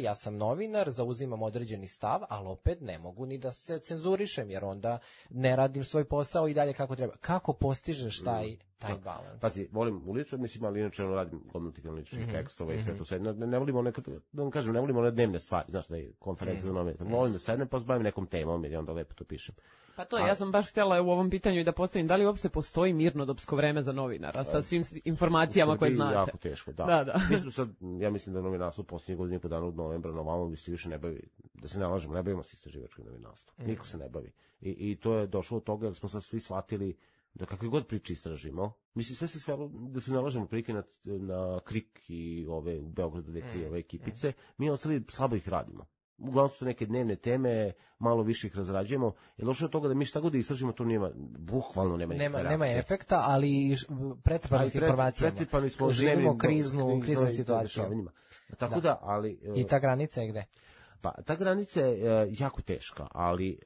ja sam novinar, zauzimam određeni stav, ali opet ne mogu ni da se cenzurišem, jer onda ne radim svoj posao i dalje kako treba. Kako postižeš taj balans? Pazi, volim ulicu, mislim, ali inače radim gomilu ličnih tekstova i sve to sve. Ne volimo da vam kažem, ne volimo one dnevne stvari, znaš da je konferencija za novinara. Volim da sednem pa zbavim nekom temom i onda lepo to pišem. Pa to, ja sam baš htjela u ovom pitanju i da postavim, da li uopšte postoji mirnodopsko vreme za novinara sa svim informacijama koje znate? Jako teško, da. Ja mislim da novinarstvo posljednjih godina i po dana od novembra na ovamo se više ne bavi, da se ne lažemo, ne bavimo se istraživačkim novinarstvom. Niko se ne bavi. I to je došlo od toga da smo sad svi shvatili da kakve god priče istražimo, mislim sve se svelo da se ne lažemo prilike na Krik i ove u Beogradu 2-3 ove ekipice, mi ostali slabo ih radimo. Uglavnom su to neke dnevne teme, malo više ih razrađujemo, jer došlo od toga da mi šta god da istražimo, to bukvalno nema efekta, ali pretrpani s informacijama. Živimo kriznu situaciju. Tako da, ali... I ta granica je gde? Pa, ta granica je jako teška, ali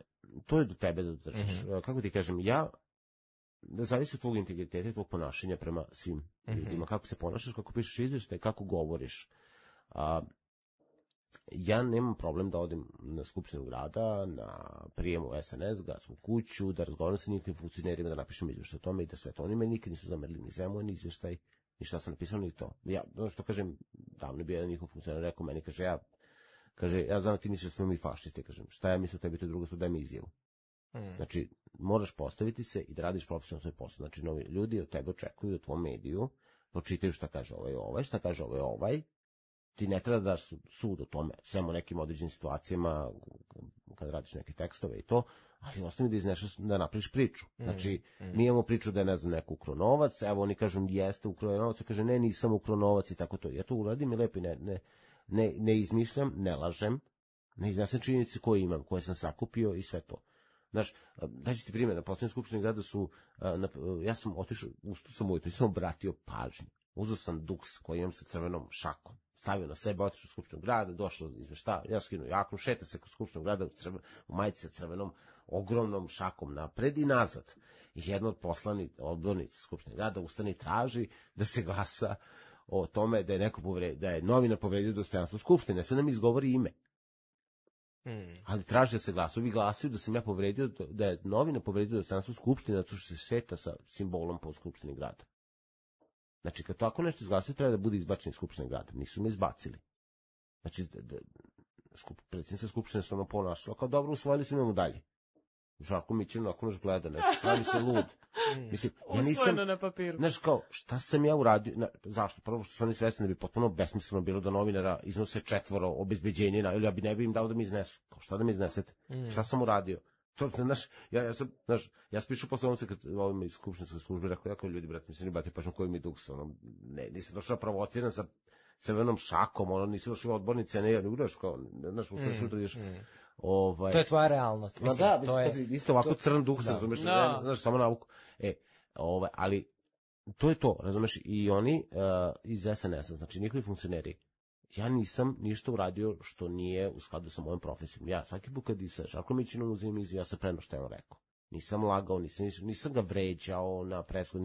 to je do tebe da držiš. Kako ti kažem, da zavisi od tvog integriteta i tvog ponašanja prema svim ljudima. Kako se ponašaš, kako pišeš izveštaj, kako govoriš. ja nemam problem da odem na skupštinu grada, na prijemu SNS, gradsku kuću, da razgovaram sa njihovim funkcionerima, da napišem izveštaj o tome i da sve to. Oni me nikad nisu zamerili ni za moj ni izveštaj, ni šta sam napisao, ni to. Ja, ono što kažem, davno je bio jedan njihov funkcioner, rekao meni, kaže, ja znam ti misliš da smo mi fašisti, kažem, šta ja mislim o tebi, to je druga stvar, daj mi izjavu. Znači, moraš postaviti se i da radiš profesionalno svoj posao. Znači, novi ljudi od tebe očekuju u tvom mediju, počitaju šta kaže šta kaže ovaj, ti ne treba da daš sud o tome, samo nekim određenim situacijama, kad radiš neke tekstove i to, ali ostavi da iznešaš, da napraviš priču. Znači, mi imamo priču da je, ne znam, neko ukrao novac, evo oni kažu, jeste ukrao novac, kaže, ne, nisam ukrao novac i tako to. Ja to uradim i lepo ne izmišljam, ne lažem, ne iznesem činjenice koje imam, koje sam sakupio i sve to. Znaš, daći ti primjer, na poslednjoj skupštini grada su, ja sam otišao, ustao sam ujutro i sam obratio pažnju. Uzeo sam duks koji imam sa crvenom šakom, stavio na sebe, otišao u skupštinu grada, došlo izveštav, ja skinuo jaknu, šeta se kod skupštinu grada u majici sa crvenom, ogromnom šakom napred i nazad. I jedno od odbornica skupštine grada ustane i traži da se glasa o tome da je da je novinar povredio dostojanstvo skupštine, sve nam izgovori ime. Ali traži da se glasuju. Vi glasuju da sam ja povredio, da je novina povredio dostojanstvo skupštine, zato što se šeta sa simbolom po skupštini grada. Znači, kad tako nešto izglasuju, treba da bude izbačen iz skupštine grada. Nisu me izbacili. Znači, predsjednica skupštine se ono ponašala, kao dobro, usvojili smo, imamo dalje. Žarko Mićin onako naš gleda nešto, pravi se lud. Mislim, ja nisam, na papiru. Znaš, kao, šta sam ja uradio, zašto? Prvo što su oni svesni da bi potpuno besmisleno bilo da novinara iznose 4 obezbeđenje, ili ja ne bi im dao da mi iznesu. Kao, šta da mi iznesete? Šta sam uradio? To, znaš, ja sam pišu posle ovom kad ovim iz skupštinske službe, rekao ljudi, brate, mislim, brate, pažem koji mi duks, nisam došao provociran sa crvenom šakom, nisu došli odbornice, ne ugraš, kao, znaš, ustaš jutro ideš. To je tvoja realnost. Ma da, isto ovako crn duh se, razumeš, znaš, samo navuku. Ali to je to, razumeš, i oni iz SNS-a, znači njihovi funkcioneri, ja nisam ništa uradio što nije u skladu sa mojom profesijom. Ja svaki put kad sa Žarkom Mićinom uzim izjavu, ja sam preno što je on rekao. Nisam lagao, nisam ga vređao na preskod,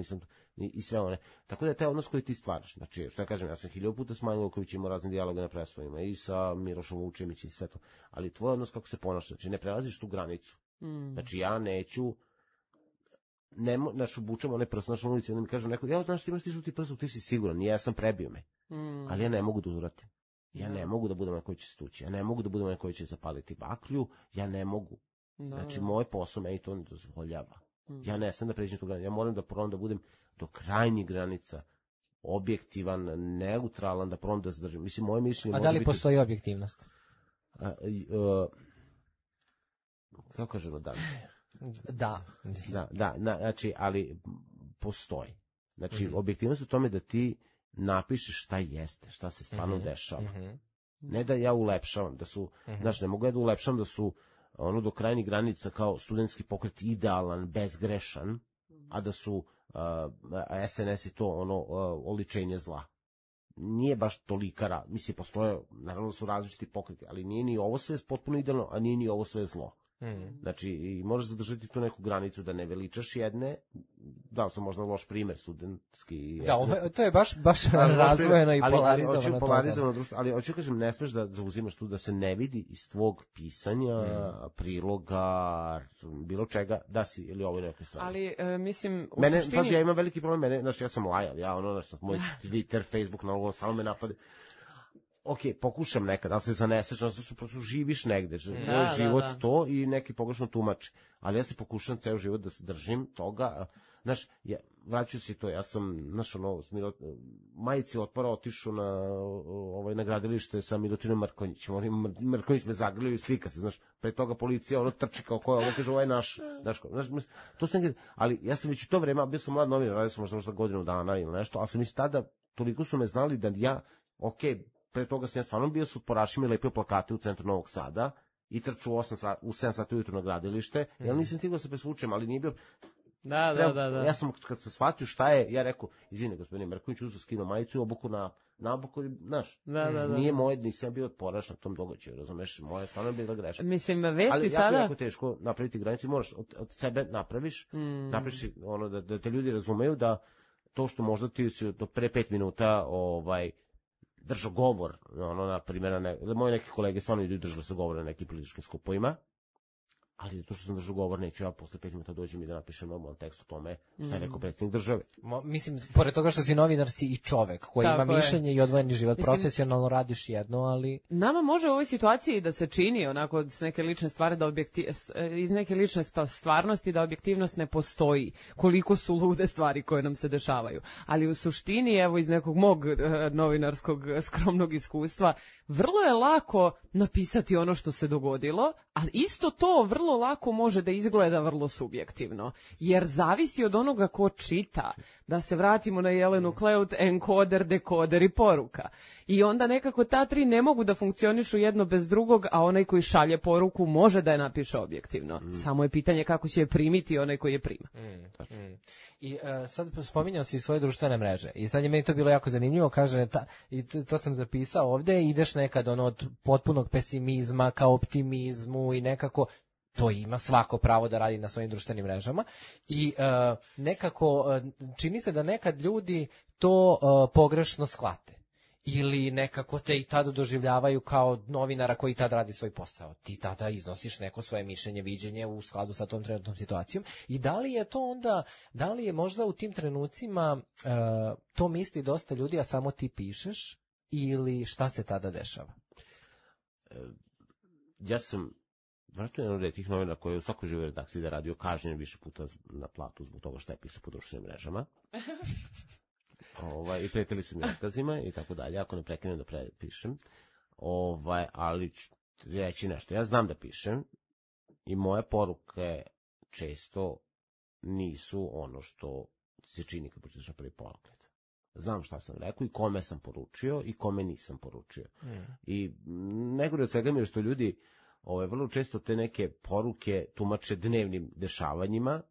i sve one. Tako da je taj odnos koji ti stvaraš. Znači, što ja kažem, ja sam 1000 puta s Manjom Luković imao razne dijaloge na preskovima i sa Milošom Vučemić i sve to. Ali tvoj odnos kako se ponaša, znači ne prelaziš tu granicu. Znači, ja neću, obučem onaj prst, na ulici, onda mi kažu neko, ja, znaš, ti imaš ti žuti prst, ti si siguran, ja sam prebio me. Ali ja ne mogu da uzvratim. Ja ne mogu da budem onaj koji će se tući, ja ne mogu da budem onaj koji će zapaliti baklju, ja ne mogu. Znači, moj posao meni to ne dozvoljava. Ja ne sam da pređem tu granicu, ja moram da probam da budem do krajnjih granica objektivan, neutralan, da probam da zadržim. Mislim, moje mišljenje... A da li postoji objektivnost? Kako kažemo da? Da. Znači, ali postoji. Znači, objektivnost u tome da ti napišeš šta jeste, šta se stvarno dešava. Ne da ja ulepšavam, da su, znači, ne mogu ja da ulepšavam da su do krajnjih granica kao studentski pokret idealan, bezgrešan, a da su SNS i to oličenje zla. Nije baš tolika, mislim, postoje, naravno su različiti pokreti, ali nije ni ovo sve potpuno idealno, a nije ni ovo sve zlo. Znači, i možeš zadržati tu neku granicu da ne veličaš jedne, dao sam možda loš primer studentski. Da, to je baš razvojeno i polarizovano društvo, ali hoću kažem, ne smeš da zauzimaš tu da se ne vidi iz tvog pisanja, priloga, bilo čega, da si ili ovo neke stvari. Ali, mislim, u mene, suštini... Pazi, ja imam veliki problem, znači ja sam lajav, moj Twitter, Facebook, samo me napade. Ok, pokušam nekad, ali se zaneseš, prosto živiš negde, tvoj život to i neki pogrešno tumači. Ali ja se pokušam ceo život da se držim toga, znaš, vraću si to, ja sam, znaš, majici otpora otišao na gradilište sa Milutinom Mrkonjićem, Mrkonjić me zagrlio i slika se, znaš, pre toga policija, trči kao ko je, kaže, ovo je naš, znaš, to sam, ali ja sam već u to vreme, bio sam mlad novinar, radio sam možda godinu dana ili nešto, ali sam i tada, toliko su me znali da ja, pre toga sam ja stvarno bio s otporašima i lepio plakate u centru Novog Sada i trču u 7 sati ujutru na gradilište, ja nisam stigao da se presvučem, ali nije bio... Da. Ja sam, kad sam shvatio šta je, ja rekao, izvini, gospodine Mrkonjić, uzeo skinuo majicu i obuku na obuku, znaš, nije moje, nisam bio otporaš na tom događaju, razumeš, moja stvarno je bila greška. Mislim, vesti ali sada... Ali jako teško napraviti granicu, moraš od sebe napraviš da te ljudi razumeju da to što možda ti si do pre 5 minuta držao govor, ono, na primjer, moji neki kolege stvarno idu i držali se govor na nekim političkim skupovima, ali zato što sam držao govor, neću ja posle 5 minuta dođem i da napišem normalan tekst o tome šta je rekao predsjednik države. Mislim, pored toga što si novinar, si i čovek koji ima mišljenje i odvojeni život. Mislim, profesionalno radiš jedno, ali... Nama može u ovoj situaciji da se čini onako s neke lične stvari, iz neke lične stvarnosti da objektivnost ne postoji, koliko su lude stvari koje nam se dešavaju. Ali u suštini, evo iz nekog mog novinarskog skromnog iskustva, vrlo je lako napisati ono što se dogodilo, ali isto to vrlo lako može da izgleda vrlo subjektivno, jer zavisi od onoga ko čita. Da se vratimo na Jelenu Kleut, enkoder, dekoder i poruka. I onda nekako ta tri ne mogu da funkcionišu jedno bez drugog, a onaj koji šalje poruku može da je napiše objektivno. Samo je pitanje kako će je primiti onaj koji je prima. I sad spominjao si svoje društvene mreže i sad je meni to bilo jako zanimljivo, kaže, i to sam zapisao ovde, ideš nekad od potpunog pesimizma ka optimizmu i nekako to ima svako pravo da radi na svojim društvenim mrežama i nekako čini se da nekad ljudi to pogrešno shvate ili nekako te i tada doživljavaju kao novinara koji tada radi svoj posao. Ti tada iznosiš neko svoje mišljenje, viđenje u skladu sa tom trenutnom situacijom i da li je to onda, da li je možda u tim trenucima to misli dosta ljudi, a samo ti pišeš ili šta se tada dešava? Ja sam vratno jedan od tih novina koji je u svakoj živoj redakciji da radio kažnjen više puta na platu zbog toga što je pisao po društvenim mrežama. I pretili su mi otkazima i tako dalje, ako ne prekinem da pišem. Ali ću reći nešto. Ja znam da pišem i moje poruke često nisu ono što se čini kad pročitaš na prvi pogled. Znam šta sam rekao i kome sam poručio i kome nisam poručio. I najgore od svega mi je što ljudi vrlo često te neke poruke tumače dnevnim dešavanjima.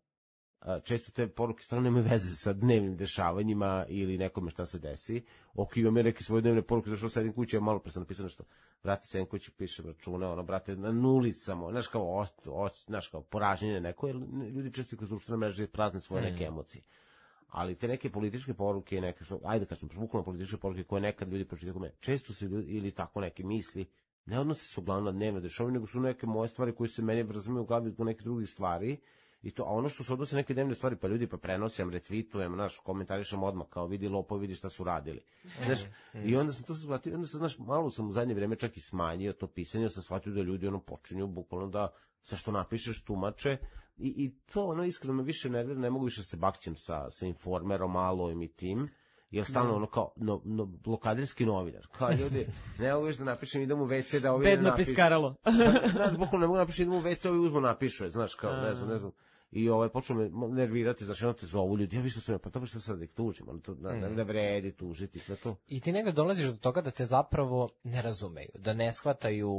Često te poruke stvarno nemaju veze sa dnevnim dešavanjima ili nekome šta se desi. Imam ja neke svoje dnevne poruke, zašto sedim kući, ja malo pre sam napisao nešto, brate, sedim kući, pišem račune, brate, na nuli samo, znaš kao poraženje neko, jer ljudi često kroz društvene mreže prazne svoje neke emocije. Ali te neke političke poruke, neke što, ajde kažem, bukvalno političke poruke koje nekad ljudi pročitaju kome, često se ljudi, ili tako neke misli, ne odnose se uglavnom na dnevne dešavanje, nego su neke moje stvari koje se meni razumiju u glavi zbog nekih drugih stvari. A ono što se odnose neke dnevne stvari, pa ljudi pa prenosim, retweetujem, komentarišem odmah, kao vidi lopo, vidi šta su radili. I onda sam to shvatio, onda sam, malo sam u zadnje vreme čak i smanjio to pisanje, sam shvatio da ljudi počinju bukvalno da sa što napišeš tumače i to iskreno me više nervira, ne mogu više se bakćem sa Informerom, Alojem i tim. Jer stalno kao blokaderski novinar. Kao ljudi, ne mogu još da napišem, idem u WC da ovi ne napišu. Bedno piskaralo. Bukvalno ne mogu napišem, idem u WC, ovi uzmu napišu, znaš, kao, ne znam. I počeo me nervirati, znaš, te zovu ljudi, ja više sam, pa dobro što sad da ih tužim, ne vredi tužiti, sve to. I ti negde dolaziš do toga da te zapravo ne razumeju, da ne shvataju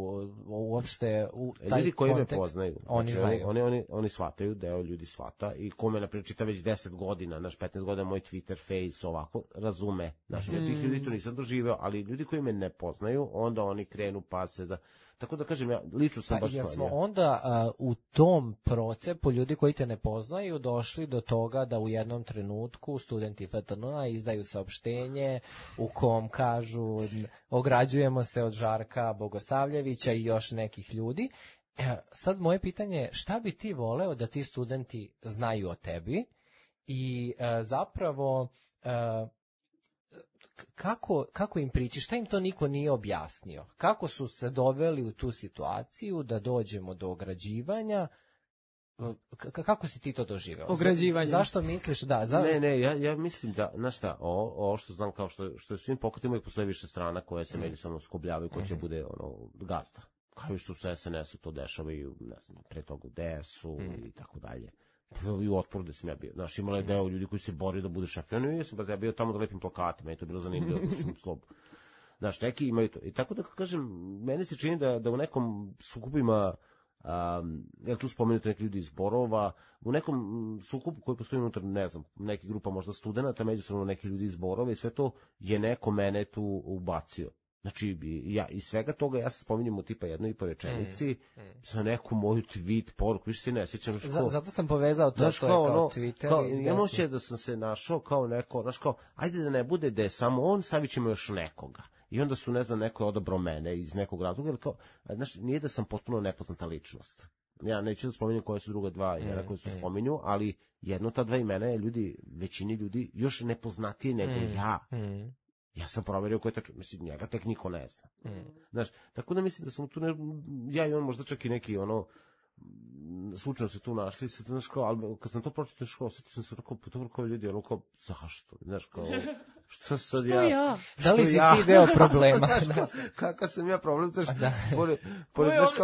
uopšte u taj ljudi koji kontekst. Me poznaju, oni znaju. Oni shvataju, deo ljudi shvata i ko me naprijed čita već 10 godina, 15 godina moj Twitter, Face, ovako, razume. Znaš, ja tih ljudi to nisam doživeo, ali ljudi koji me ne poznaju, onda oni krenu pa se da... Tako da kažem, ja lično sam baš... Jer smo onda u tom procepu ljudi koji te ne poznaju došli do toga da u jednom trenutku studenti FTN-a izdaju saopštenje u kom kažu ograđujemo se od Žarka Bogosavljevića i još nekih ljudi. Sad moje pitanje je šta bi ti voleo da ti studenti znaju o tebi i zapravo... Kako im prići, šta im to niko nije objasnio, kako su se doveli u tu situaciju da dođemo do ograđivanja, kako si ti to doživeo? Ograđivanje. Zašto misliš da? Ja mislim da, znaš šta, ovo što znam kao što je svim pokretima uvijek postoje više strana koje se međusobno skobljavaju, ko će bude gazda. Kao što su SNS-u to dešavaju, ne znam, pre toga u DS-u i tako dalje. I u Otporu da sam ja bio. Znaš, imala je deo ljudi koji se bori da bude šafion. Ja bio tamo da lepim plakate, meni to bilo zanimljivo, dušim slobu. Znaš, neki imaju to. I tako da kažem, meni se čini da u nekom sukupima, tu spomenuti neki ljudi iz Borova, u nekom sukupu koji postoji unutar, ne znam, neke grupa možda studenta, međusobno neki ljudi iz Borova i sve to je neko mene tu ubacio. Znači, ja iz svega toga ja se spominjem u tipa jednoj i po rečenici za neku moju tweet poruku, više se ne sjećam. Zato sam povezao to, znaš, to je kao Twitter. Ne moće da sam se našao kao neko, znaš kao, ajde da ne bude da je samo on, stavit ćemo još nekoga. I onda su, ne znam, neko je odabrao mene iz nekog razloga, jer kao, znaš, nije da sam potpuno nepoznata ličnost. Ja neću da spominjem koje su druga dva imena koje su spominju, ali jedno ta dva imena je većini ljudi još nepoznatije nego ja. Ja sam proverio ko je tačno, mislim, njega tek niko ne zna. Znaš, tako da mislim da sam tu, ja i on možda čak i neki, slučajno se tu našli, znaš, kao, ali kad sam to pročitao, osjetio sam se kao ljudi, kao, zašto, znaš, kao, što sad ja? Da li si ti deo problema? Kakav sam ja problem, znaš,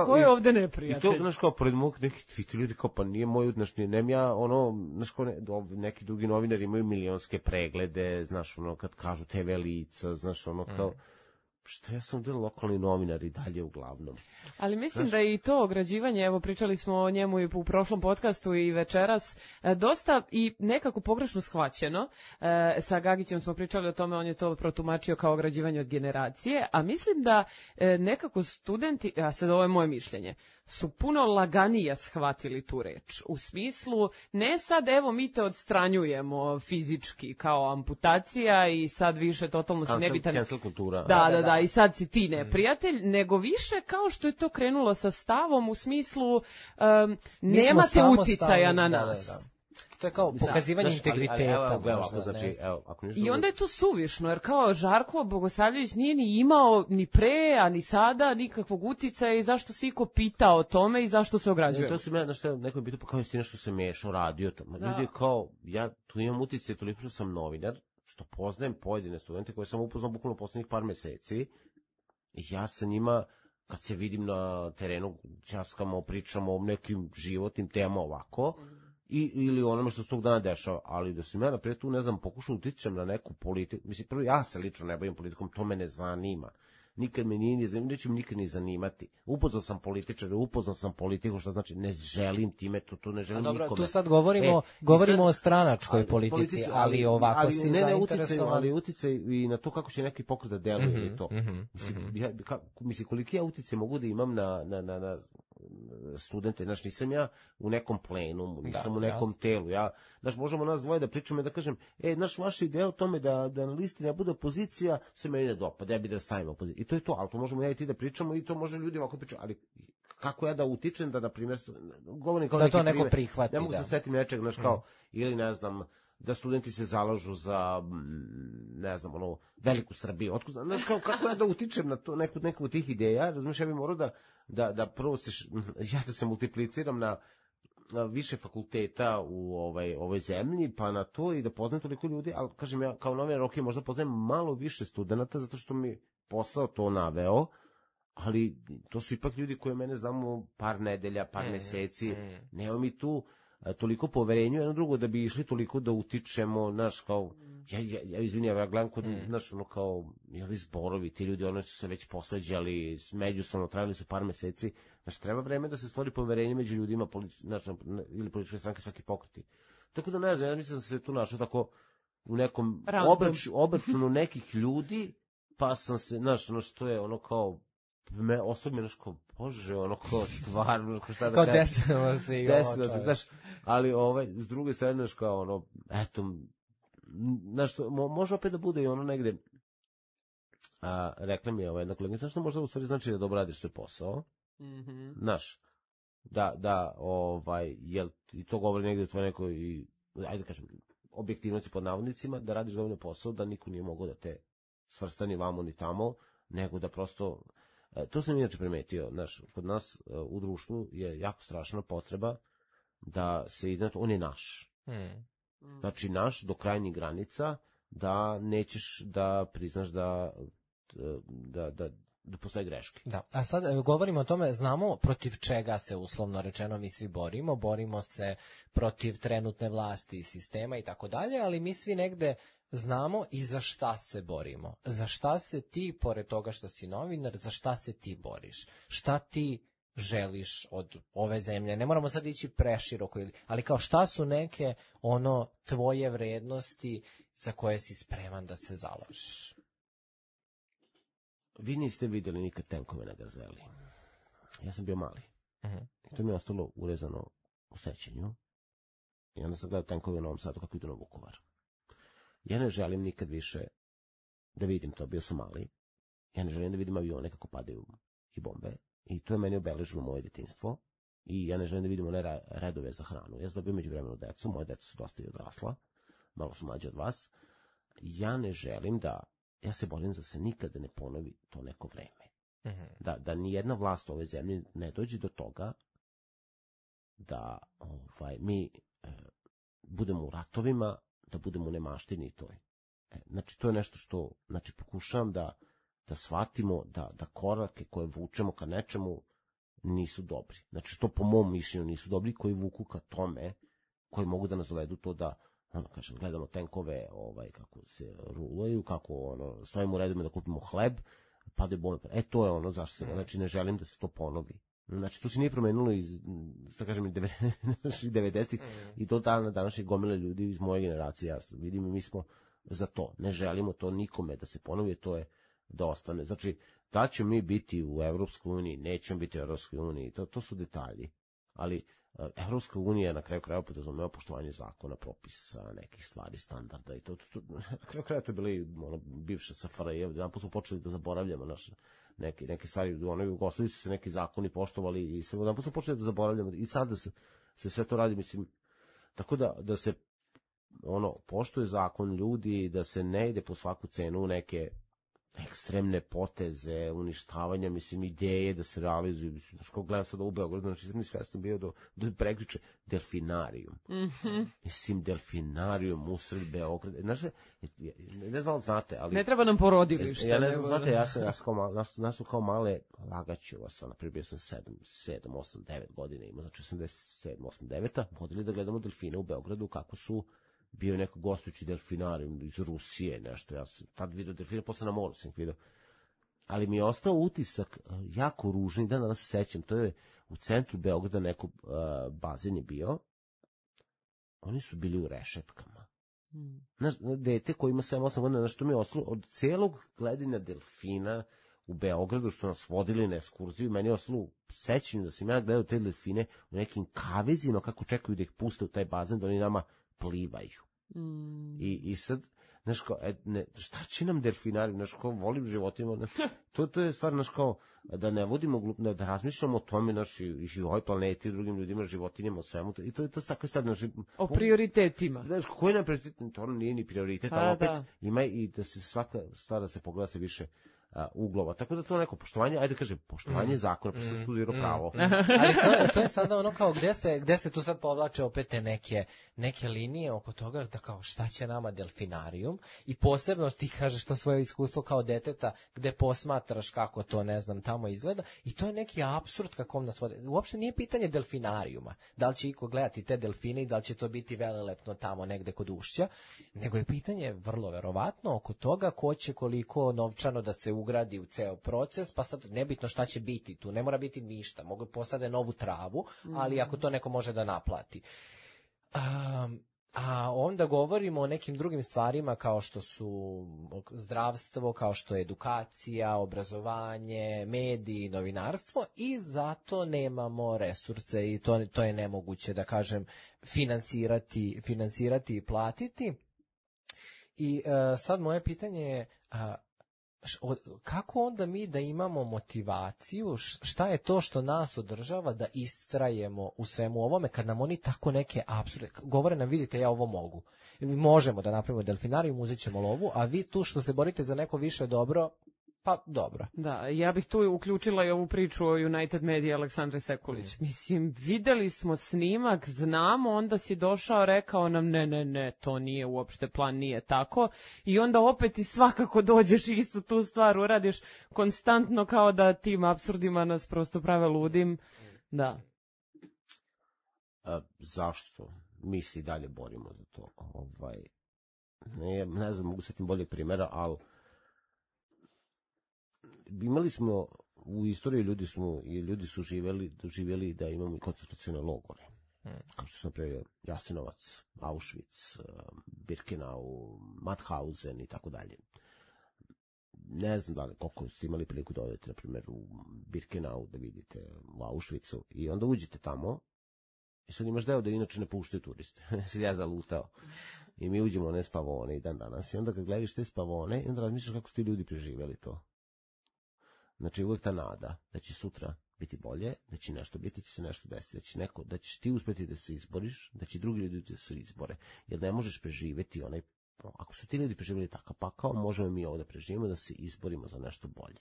ko je ovde neprijatelj? I to, znaš, kao, pored mog nekih tviti ljudi, kao, pa nije moj, znaš, nem ja, znaš, kao, neki drugi novinari imaju milionske preglede, znaš, kad kažu TV lica, znaš, kao, što ja sam del lokalni novinar i dalje uglavnom. Ali mislim da je i to ograđivanje, evo pričali smo o njemu i u prošlom podcastu i večeras, dosta i nekako pogrešno shvaćeno. Sa Gagićem smo pričali o tome, on je to protumačio kao ograđivanje od generacije, a mislim da nekako studenti, a sad ovo je moje mišljenje, su puno laganije shvatili tu reč. U smislu, ne sad evo mi te odstranjujemo fizički kao amputacija i sad više totalno si nebitan. Cancel kultura. Da, i sad si ti neprijatelj, nego više kao što je to krenulo sa stavom u smislu nemate uticaja na nas. Da. To je kao pokazivanje integriteta. I onda je to suvišno, jer kao Žarko Bogosavljević nije ni imao ni pre, a ni sada nikakvog uticaja i zašto se iko pita o tome i zašto se ograđuje. To se me, što neko je pitao, pa kao je nešto se mešao, radio tamo. Ljudi kao, ja tu imam uticaj toliko što sam novinar, što poznajem pojedine studente koje sam upoznao bukvalno poslednjih par meseci i ja sa njima, kad se vidim na terenu, časkamo, pričamo o nekim životnim temama ovako, ili onome što se tog dana dešava, ali da sam ja naprijed tu, ne znam, pokušao utičem na neku politiku, mislim, prvo ja se lično ne bavim politikom, to me ne zanima. Nikad me nije ni zanimati, neće me nikad ni zanimati. Upoznao sam političare, upoznao sam politiku, što znači ne želim time, to ne želim nikome. Tu sad govorimo o stranačkoj politici, ali ovako si zainteresovan. Ali uticaj i na to kako će neki pokret da deluje i to. Mislim, koliki ja uticaj mogu da imam na studente, znači nisam ja u nekom plenumu, nisam u nekom telu, znači možemo nas dvoje da pričamo i da kažem, vaša ideja o tome da na listi ne bude opozicija, se meni ne dopada, ja bi da stavim opoziciju. I to je to, ali to možemo ja i ti da pričamo i to može ljudi ovako pričati, ali kako ja da utičem da, na primjer, govorim kao da to neko prihvati. Ne mogu se setim nečeg, znači kao, ili ne znam, da studenti se zalažu za, ne znam, veliku Srbiju. Znaš, kako ja da utičem na to, neku od tih ideja, razumiješ, ja bih morao da prvo da se multipliciram na više fakulteta u ovoj zemlji, pa na to i da poznam toliko ljudi, ali kažem ja, kao novinar, ok, možda poznajem malo više studenta, zato što mi posao to naveo, ali to su ipak ljudi koje mene znamo par nedelja, par meseci, nema mi tu toliko poverenju jedno drugo da bi išli toliko da utičemo, znaš, kao, ja izvinjam, ja gledam kod, znaš, kao, i ovi zborovi, ti ljudi, oni su se već posveđali, međusobno trajali su par meseci, znaš, treba vreme da se stvori poverenje među ljudima, znači, ili političke stranke, svaki pokreti. Tako da ne znam, ja mislim da se tu našao tako u nekom obračunu nekih ljudi, pa sam se, znaš, što je kao, me osobno nešto, bože, kao stvarno, šta da kao desilo se i ovo, znaš, ali s druge strane, znaš, kao eto, znaš, može opet da bude i negde, rekla mi je jedna kolegica, znaš što možda u stvari znači da dobro radiš svoj posao, znaš, da, jel, i to govori negde u tvoj nekoj, ajde kažem, objektivnosti pod navodnicima, da radiš dovoljno posao, da niko nije mogao da te svrsta ni vamo ni tamo, nego da prosto, to sam inače primetio, znaš, kod nas u društvu je jako strašna potreba da se ide, on je naš. Znači naš do krajnjih granica, da nećeš da priznaš da postoje greške. Da, a sad govorimo o tome, znamo protiv čega se uslovno rečeno mi svi borimo se protiv trenutne vlasti i sistema i tako dalje, ali mi svi negde znamo i za šta se borimo. Za šta se ti, pored toga što si novinar, za šta se ti boriš? Šta ti želiš od ove zemlje? Ne moramo sad ići preširoko, ali kao šta su neke tvoje vrednosti za koje si spreman da se zalažeš? Vi niste vidjeli nikad tenkove na Gazeli. Ja sam bio mali. I to mi je ostalo urezano u sećanju. I onda sam gledao tenkove u Novom Sadu kako idu na Vukovar. Ja ne želim nikad više da vidim to, bio sam mali. Ja ne želim da vidim avione kako padaju i bombe. I to je meni obeležilo moje detinjstvo. I ja ne želim da vidim one redove za hranu. Ja sam dobio među vremenu decu, moje deca su dosta i odrasla, malo su mlađe od vas. Ja ne želim ja se borim da se nikada ne ponovi to neko vreme. Da ni jedna vlast u ovoj zemlji ne dođe do toga da mi budemo u ratovima, da budemo u nemaštini toj. Znači, to je nešto što, pokušavam da shvatimo da korake koje vučemo ka nečemu nisu dobri. Znači, što po mom mišljenju nisu dobri, koji vuku ka tome, koji mogu da nas dovedu to da, gledamo tenkove, kako se rulaju, kako, stojimo u redima da kupimo hleb, padaju bombe. To je ono zašto se, znači, ne želim da se to ponovi. Znači, to se nije promenilo iz, da kažem, 90-ih i do dana današnjih gomile ljudi iz moje generacije. Ja vidim, mi smo za to. Ne želimo to nikome da se ponovi, to je da ostane. Znači, da ćemo mi biti u Evropskoj uniji, nećemo biti u Evropskoj uniji, to su detalji. Ali Evropska unija na kraju krajeva podrazumeva poštovanje zakona, propisa, nekih stvari, standarda i to na kraju krajeva to je bila i bivša SFRJ, jedan put smo počeli da zaboravljamo neke stvari, u onoj Jugoslaviji su se neki zakoni poštovali i sve, jedan put smo počeli da zaboravljamo i sad da se sve to radi, mislim, tako da se poštuje zakon ljudi, da se ne ide po svaku cenu u neke ekstremne poteze, uništavanja, mislim, ideje da se realizuju, mislim, znaš, kao gledam sada u Beogradu, znači, sam svestan bio do prekriče, delfinarijum. Mislim, delfinarijum usred Beograda, znaš, ne znam, znate, ali... Ne treba nam porodilište. Ja ne znam, znate, nas su kao male lagaćeva, na primjer, bio sam 7, 8, 9 godina ima, znači 87, 8, 9, vodili da gledamo delfine u Beogradu, kako su bio je neko gostujući delfinarijum iz Rusije, nešto, ja sam tad vidio delfine, posle na moru sam ih vidio. Ali mi je ostao utisak jako ružni, danas se sećam, to je u centru Beograda neko bazen je bio, oni su bili u rešetkama. Znaš, dete koji ima 7-8 godina, znaš, to mi je ostalo od celog gledanja delfina u Beogradu, što nas vodili na ekskurziju, meni je ostalo sećanje da sam ja gledao te delfine u nekim kavezima, kako čekaju da ih puste u taj bazen, da oni nama plivaju. I sad, znaš kao, šta će nam delfinari, znaš kao, volim životima, to je stvar, znaš kao, da ne vodimo glupno, da razmišljamo o tome, znaš, i ovoj planeti, drugim ljudima, životinjama, o svemu, i to je tako stvar, znaš, o prioritetima. Znaš, koji nam prioritet, to nije ni prioritet, ali opet ima i da se svaka stvar da se pogleda se više uglova. Tako da to neko poštovanje, ajde kažem, poštovanje zakona, pa sam studirao pravo. Ali to je sada ono kao gde se tu sad povlače opet te neke linije oko toga da kao šta će nama delfinarijum i posebno ti kažeš to svoje iskustvo kao deteta gde posmatraš kako to, ne znam, tamo izgleda i to je neki apsurd kako nas vode. Uopšte nije pitanje delfinarijuma, da li će iko gledati te delfine i da li će to biti velelepno tamo negde kod ušća, nego je pitanje vrlo verovatno oko toga ko će koliko novčano da se ugradi u ceo proces, pa sad nebitno šta će biti tu, ne mora biti ništa, mogu posade novu travu, ali ako to neko može da naplati. A onda govorimo o nekim drugim stvarima kao što su zdravstvo, kao što je edukacija, obrazovanje, mediji, novinarstvo i zato nemamo resurse i to je nemoguće, da kažem, finansirati i platiti. I sad moje pitanje je kako onda mi da imamo motivaciju, šta je to što nas održava da istrajemo u svemu ovome kad nam oni tako neke apsurde, govore nam vidite ja ovo mogu, možemo da napravimo delfinarijum, uzet ćemo lovu, a vi tu što se borite za neko više dobro, pa dobro. Da, ja bih tu uključila i ovu priču o United Media Aleksandre Sekulić. Mislim, videli smo snimak, znamo, onda si došao, rekao nam ne, to nije uopšte plan, nije tako. I onda opet i svakako dođeš i istu tu stvar uradiš konstantno kao da tim apsurdima nas prosto prave ludim. Da. Zašto? Mi se i dalje borimo za to. Ne znam, mogu setim boljeg primjera, ali imali smo u istoriji ljudi su živjeli da imamo i koncentracione logore. Kao što sam prije Jasenovac, Auschwitz, Birkenau, Mauthausen i tako dalje. Ne znam da li koliko ste imali priliku da odete, na primjer, u Birkenau da vidite u Auschwitzu i onda uđete tamo i sad imaš deo da inače ne puštaju turiste. Sad ja zalutao. I mi uđemo u one spavone i dan danas i onda kad gledaš te spavone i onda razmišljaš kako su ti ljudi preživjeli to. Znači uvijek ta nada da će sutra biti bolje, da će nešto biti, će se nešto desiti, da ćeš ti uspjeti da se izboriš, da će drugi ljudi da se izbore, jer ne možeš preživjeti onaj, ako su ti ljudi preživjeli takav pakao, možemo mi ovdje preživimo da se izborimo za nešto bolje.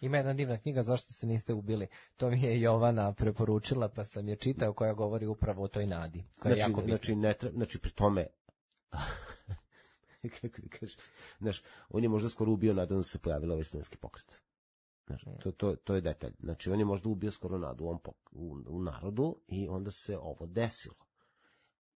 Ima jedna divna knjiga Zašto se niste ubili. To mi je Jovana preporučila, pa sam je čitao, koja govori upravo o toj nadi. Koja je jako bitna. Znači pri tome znaš, on je možda skoro ubio nadu da se pojavila ovaj studentski pokret. Znaš, to je detalj. Znači, on je možda ubio skoro nadu u narodu i onda se ovo desilo.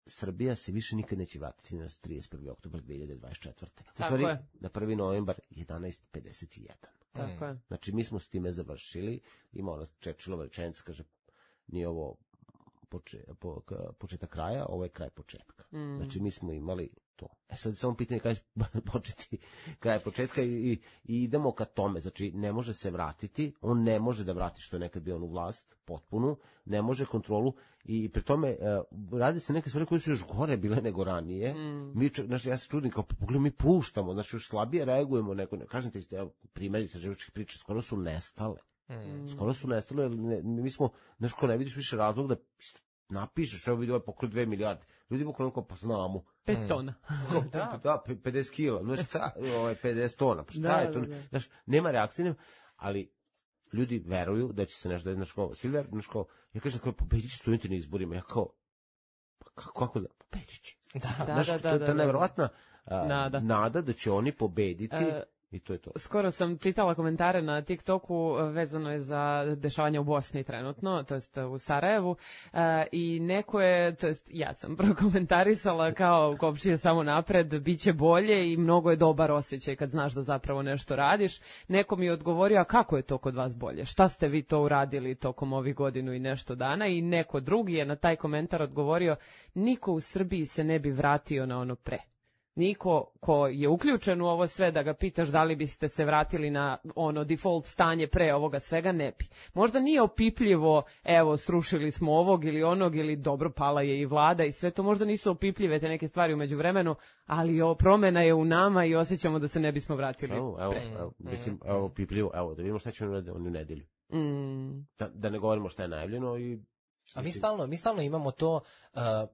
Srbija se više nikad neće vratiti na 31. oktobar 2024. Tako je. Na 1. novembar 11.51. Tako je. Znači, mi smo s time završili. Ima ona Churchillova rečenica, kaže, nije ovo početak kraja, ovo je kraj početka. Znači, mi smo imali to. Sad samo pitanje kada će početi kraj početka i idemo ka tome. Znači, ne može se vratiti, on ne može da vrati što je nekad bio on u vlast, potpunu, ne može kontrolu i pri tome radi se neke stvari koje su još gore bile nego ranije. Znači, ja se čudim, kao pogledaj, mi puštamo, znači još slabije reagujemo, kažem ti, primjeri sa životskih priča, skoro su nestale. Skoro su nestale, mi smo, znaš, ko ne vidiš više razlog da napišeš, evo vidi ovaj pokret 2 milijarde. Ljudi pokrenuo kao, pa znamo. 5 tona. Da, 50 kila, znaš šta, 50 tona, pa šta je to? Znaš, nema reakcije, ali ljudi veruju da će se nešto, znaš kao, svi veruju, znaš kao, ja kažem, pobedit će studenti na izborima, ja kao, pa kako da, pobedit će. Znaš, to je ta nevjerovatna nada da će oni pobediti. I to je to. Skoro sam čitala komentare na TikToku, vezano je za dešavanja u Bosni trenutno, to jest u Sarajevu, i neko je, to jest ja sam prokomentarisala kao Kopčije samo napred, bit će bolje i mnogo je dobar osjećaj kad znaš da zapravo nešto radiš. Neko mi je odgovorio, a kako je to kod vas bolje? Šta ste vi to uradili tokom ovih godinu i nešto dana? I neko drugi je na taj komentar odgovorio, niko u Srbiji se ne bi vratio na ono pre. Niko ko je uključen u ovo sve da ga pitaš da li biste se vratili na ono default stanje pre ovoga svega, ne bi. Možda nije opipljivo, evo srušili smo ovog ili onog ili dobro pala je i vlada i sve to, možda nisu opipljive te neke stvari u međuvremenu, ali promena je u nama i osjećamo da se ne bismo vratili pre. Evo opipljivo, evo da vidimo šta će oni u nedjelju. Da ne govorimo šta je najavljeno i a mi stalno imamo to,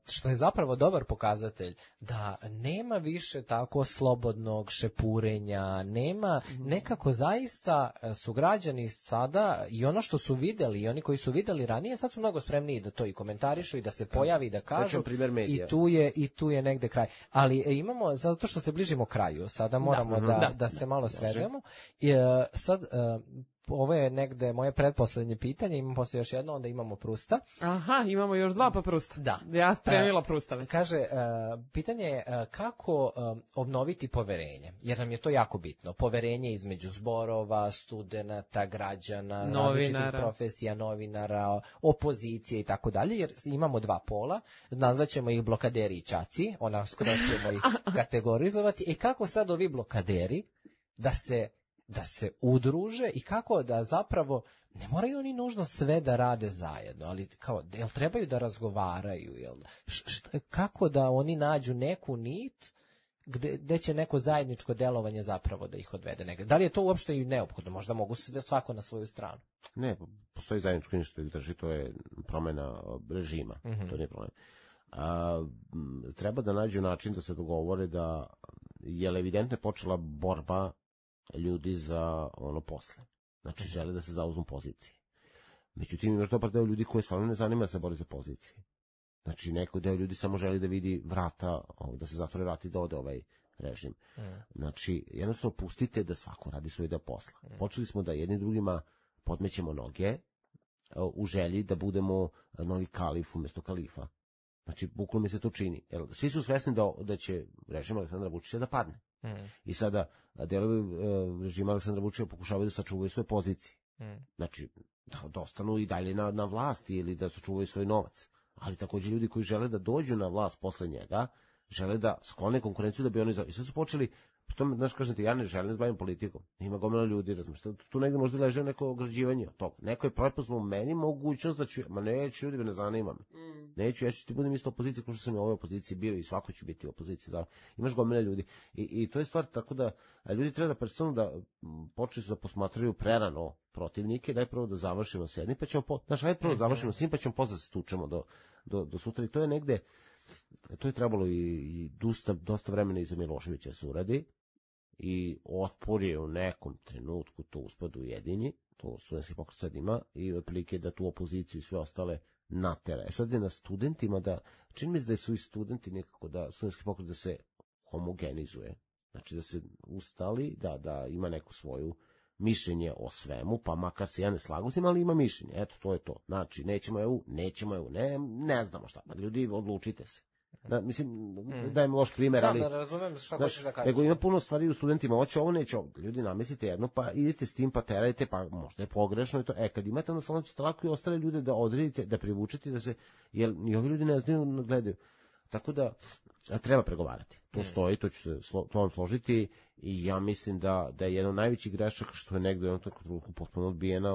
što je zapravo dobar pokazatelj, da nema više tako slobodnog šepurenja, nema, nekako zaista su građani sada i ono što su videli i oni koji su videli ranije, sad su mnogo spremniji da to i komentarišu i da se pojavi, da kažu, i tu je negde kraj. Ali imamo, zato što se bližimo kraju, sada moramo da se malo svedemo. Sad, ovo je negde moje pretposlednje pitanje, imamo poslije još jedno, onda imamo Prusta. Aha, imamo još 2 pa Prusta. Da. Ja spremila Prusta već. Kaže, pitanje je kako obnoviti poverenje, jer nam je to jako bitno. Poverenje između zborova, studenata, građana, različitih profesija, novinara, opozicije i tako dalje, jer imamo 2 pola, nazvaćemo ih blokaderi i čaci, skoro ćemo ih kategorizovati. I kako sad ovi blokaderi da se udruže i kako da zapravo, ne moraju oni nužno sve da rade zajedno, ali kao, jel trebaju da razgovaraju, kako da oni nađu neku nit gde će neko zajedničko delovanje zapravo da ih odvede negde. Da li je to uopšte i neophodno? Možda mogu svako na svoju stranu. Ne, postoji zajedničko ništa ih drži, to je promjena režima, to nije problem. Treba da nađu način da se dogovore da je evidentno počela borba ljudi za ono posle. Znači, žele da se zauzmu pozicije. Međutim, imaš dobar deo ljudi koji stvarno ne zanima da se bori za pozicije. Znači, neko deo ljudi samo želi da vidi vrata, da se zatvore vrata i da ode ovaj režim. Znači, jednostavno pustite da svako radi svoj deo posla. Počeli smo da jedni drugima podmećemo noge u želji da budemo novi kalif umjesto kalifa. Znači, bukvalno mi se to čini. Svi su svesni da će režim Aleksandra Vučića da padne. I sada delovi režima Aleksandra Vučića pokušavaju da sačuvaju svoje pozicije. Znači, da ostanu i dalje na vlasti ili da sačuvaju svoj novac. Ali također ljudi koji žele da dođu na vlast posle njega, žele da sklone konkurenciju da bi oni... I sad su počeli To, znaš, kažem ti, ja ne želim se bavim politikom. Ima gomila ljudi, razumiješ. Tu negde možda leže neko ograđivanje od toga. Neko je prepoznao meni mogućnost da ću, ma neću, ljudi, ne zanima me. Neću, ja ću ti budem isto opozicija, kao što sam u ovoj opoziciji bio i svako će biti u opoziciji. Imaš gomila ljudi. I to je stvar tako da ljudi treba da predstavno da počeli su da posmatraju prerano protivnike, daj prvo da završimo s jednim, pa ćemo, znaš, ajde prvo da završimo s njim, pa ćemo posle se tučemo do sutra. I to je negde, to je trebalo i dosta vremena iza Miloševića se uradi. I otpor je u nekom trenutku to uspadu ujedinji, to studentski pokret sad ima, i otprilike da tu opoziciju i sve ostale natera. Sad je na studentima da, čini mi se da su i studenti nekako da studentski pokret da se homogenizuje, znači da se ustali, da ima neko svoju mišljenje o svemu, pa makar se ja ne slagu s njim, ali ima mišljenje, eto, to je to. Znači, nećemo EU, ne znamo šta, ljudi, odlučite se. Mislim, dajem loš primjer, ali... Znam da razumem šta hoćeš da kažeš. Nego ima puno stvari u studentima, hoće ovo, neće ovo. Ljudi, namislite jedno, pa idete s tim, pa terajte, pa možda je pogrešno i to. Kad imate, onda samo ćete lako i ostale ljude da odredite, da privučete, da se... Jer i ovi ljudi ne znaju, ne gledaju. Tako da, treba pregovarati. To stoji, to ću se to složiti i ja mislim da je jedan od najvećih grešaka što je negdje u jednom trenutku potpuno odbijena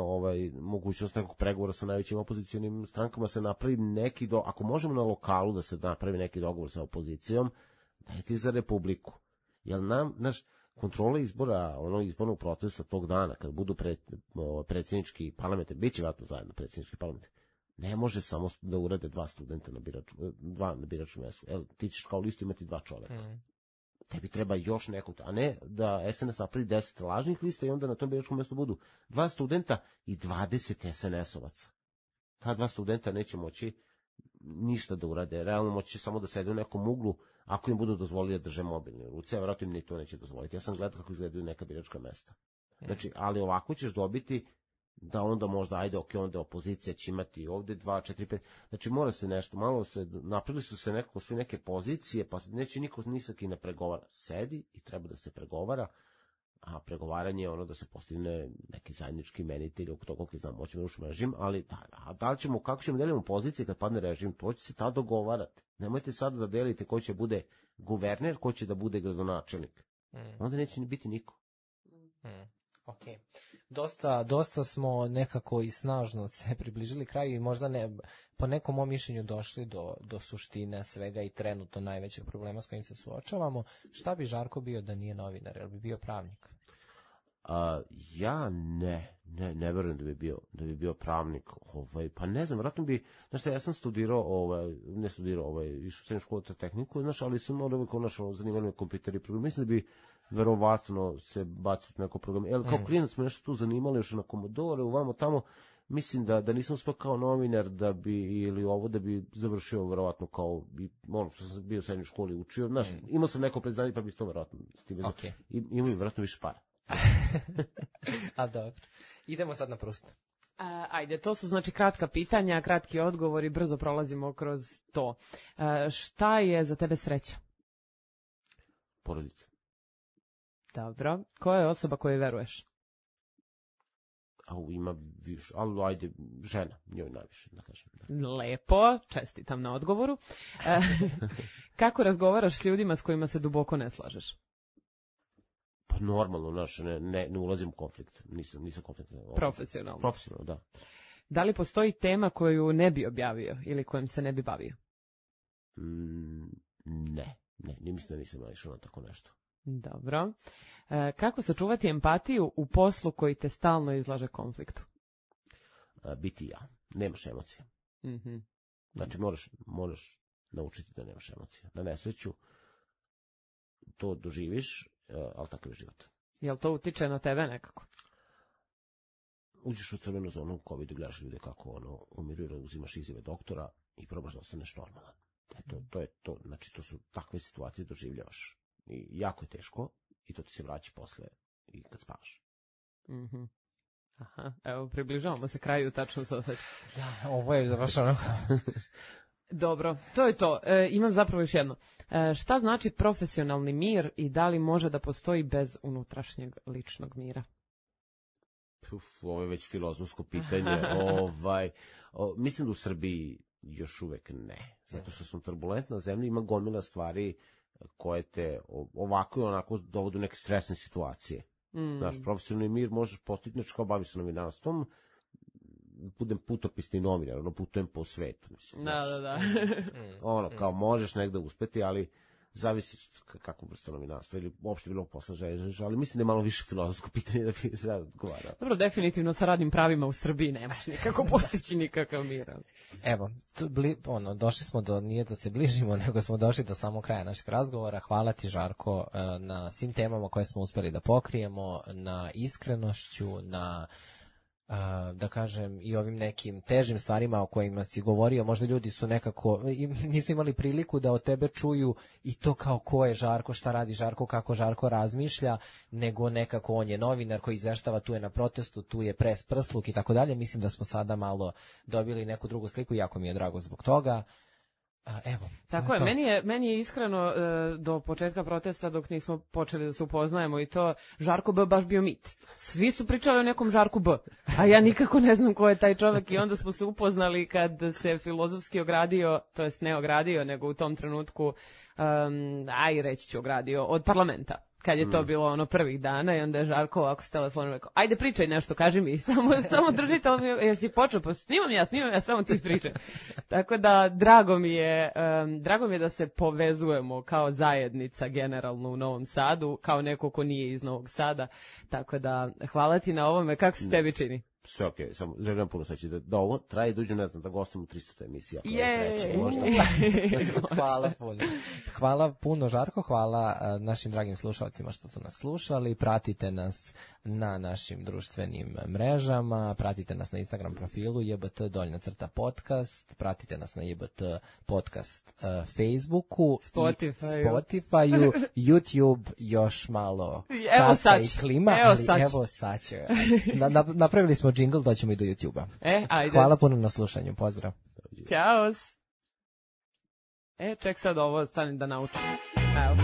mogućnost nekog pregovora sa najvećim opozicionim strankama se napravi neki ako možemo na lokalu da se napravi neki dogovor sa opozicijom, dajte za Republiku. Jer naš kontrola izbora, izbornog procesa tog dana, kad budu predsjednički parlament, bit će vratno zajedno predsjednički parlament, ne može samo da urade dva studenta na biračnom mjestu. Ti ćeš kao listu imati 2 čoveka. Tebi treba još nekog, a ne da SNS napravi 10 lažnih lista i onda na tom biračkom mjestu budu 2 studenta i 20 SNS-ovaca. Ta 2 studenta neće moći ništa da urade. Realno moći samo da sede u nekom uglu ako im budu dozvolili da drže mobilne u ruci, a vjerojatno im ni to neće dozvoliti. Ja sam gledao kako izgledaju neka biračka mesta. Znači, ali ovako ćeš dobiti da onda možda, onda opozicija će imati ovde 2, 4, 5, znači mora se nešto, malo se, napravili su se nekako svi neke pozicije, pa neće niko nisak i ne pregovara. Sedi i treba da se pregovara, a pregovaranje je ono da se postigne neki zajednički imenitelj, oko toga koji znam, hoćemo rušiti režim, ali da li ćemo, kako ćemo delimo pozicije kad padne režim, to će se tada dogovarati. Nemojte sada da delite ko će bude guverner, ko će da bude gradonačelnik. Onda neće ni biti niko. Ok. Dosta smo nekako i snažno se približili kraju i možda po nekom mom mišljenju došli do suštine svega i trenutno najvećeg problema s kojim se suočavamo. Šta bi Žarko bio da nije novinar? Jel bi bio pravnik? Ja ne verujem da bi bio pravnik, pa ne znam, vratno bi, znaš šta, ja sam išao u srednju školu za tehniku, znaš, ali sam zanimali me kompjuteri i program, mislim da bi verovatno se baciti neko program, jer kao klinac smo nešto tu zanimali još na Komodore, uvamo tamo, mislim da nisam uspio kao novinar da bi završio verovatno kao, ono što sam bio u srednjoj školi učio, znaš, imao sam neko predznanje pa bi to verovatno s tim imao bi verovatno više para. A dobro. Idemo sad na Prusta. Ajde, to su znači kratka pitanja, kratki odgovori, brzo prolazimo kroz to. Šta je za tebe sreća? Porodica. Dobro. Koja je osoba kojoj veruješ? Ima više, ali ajde, žena, njoj najviše, da kažem. Lepo, čestitam na odgovoru. Kako razgovaraš s ljudima s kojima se duboko ne slažeš? Pa normalno, ne ulazim u konflikt, nisam konflikt. Profesionalno, da. Da li postoji tema koju ne bi objavio ili kojom se ne bi bavio? Ne, mislim da nisam naišao na tako nešto. Dobro. Kako sačuvati empatiju u poslu koji te stalno izlaže konfliktu? Biti ja. Nemaš emocije. Znači, moraš naučiti da nemaš emocije. Na nesreću to doživiš, ali takav je život. Jel to utiče na tebe nekako? Uđeš u crvenu zonu u COVID-u, gledaš ljude kako umiru, uzimaš izjave doktora i probaš da ostaneš normalan. To je to. Znači, to su takve situacije doživljavaš. I jako je teško i to ti se vraća posle i kad spavaš. Aha, evo, približavamo se kraju, tačno se osjeti. Da, ovo je završeno. Dobro, to je to. Imam zapravo još jedno. Šta znači profesionalni mir i da li može da postoji bez unutrašnjeg ličnog mira? Ovo je već filozofsko pitanje. Mislim da u Srbiji još uvek ne. Zato što smo turbulentna zemlja, ima gomila stvari koje te ovako i onako dovode u neke stresne situacije. Znaš, profesionalni mir možeš postići, znači kao bavi se novinarstvom, budem putopisni novinar, putujem po svetu. Mislim, da. Kao možeš negde uspeti, ali zavisi kako vrsta novinarstva ili uopšte bilo posla želiš, ali mislim da je malo više filozofsko pitanje da bi se odgovarao. Dobro, definitivno sa radnim pravima u Srbiji nemaš nikako postići nikakav mir. Evo, došli smo do, nije da se bližimo, nego smo došli do samog kraja našeg razgovora. Hvala ti, Žarko, na svim temama koje smo uspeli da pokrijemo, na iskrenošću, na da kažem i ovim nekim težim stvarima o kojima si govorio. Možda ljudi su nekako nisu imali priliku da od tebe čuju i to kao ko je Žarko, šta radi Žarko, kako Žarko razmišlja, nego nekako on je novinar koji izveštava, tu je na protestu, tu je pres prsluk i tako dalje. Mislim da smo sada malo dobili neku drugu sliku, jako mi je drago zbog toga. Evo, tako je, meni je iskreno do početka protesta dok nismo počeli da se upoznajemo i to Žarko B baš bio mit. Svi su pričali o nekom Žarku B, a ja nikako ne znam ko je taj čovjek i onda smo se upoznali kad se filozofski ogradio, to jest ne ogradio, nego u tom trenutku, reći ću ogradio, od parlamenta. Kad je to bilo ono prvih dana i onda je Žarko ovako s telefonom rekao, ajde pričaj nešto, kaži mi, samo drži telefon, jesi počeo, pa snimam ja, samo ti pričaj. Tako da drago mi je da se povezujemo kao zajednica generalno u Novom Sadu, kao neko ko nije iz Novog Sada, tako da hvala ti na ovome, kako se tebi čini? Sve okej, samo želim puno saći da ovo traje duže, ne znam, da gostimo 300 emisija. Hvala puno. Hvala puno, Žarko, hvala našim dragim slušalcima što su nas slušali, pratite nas na našim društvenim mrežama, pratite nas na Instagram profilu JBT_podcast, pratite nas na JBT podcast Facebooku, Spotify-u, YouTube još malo kasta i klima, ali evo sad će. Napravili smo džingl, doćemo i do YouTube-a. Ajde. Hvala puno na slušanju, pozdrav. Ćao. Ček sad ovo, stani da naučim. Evo.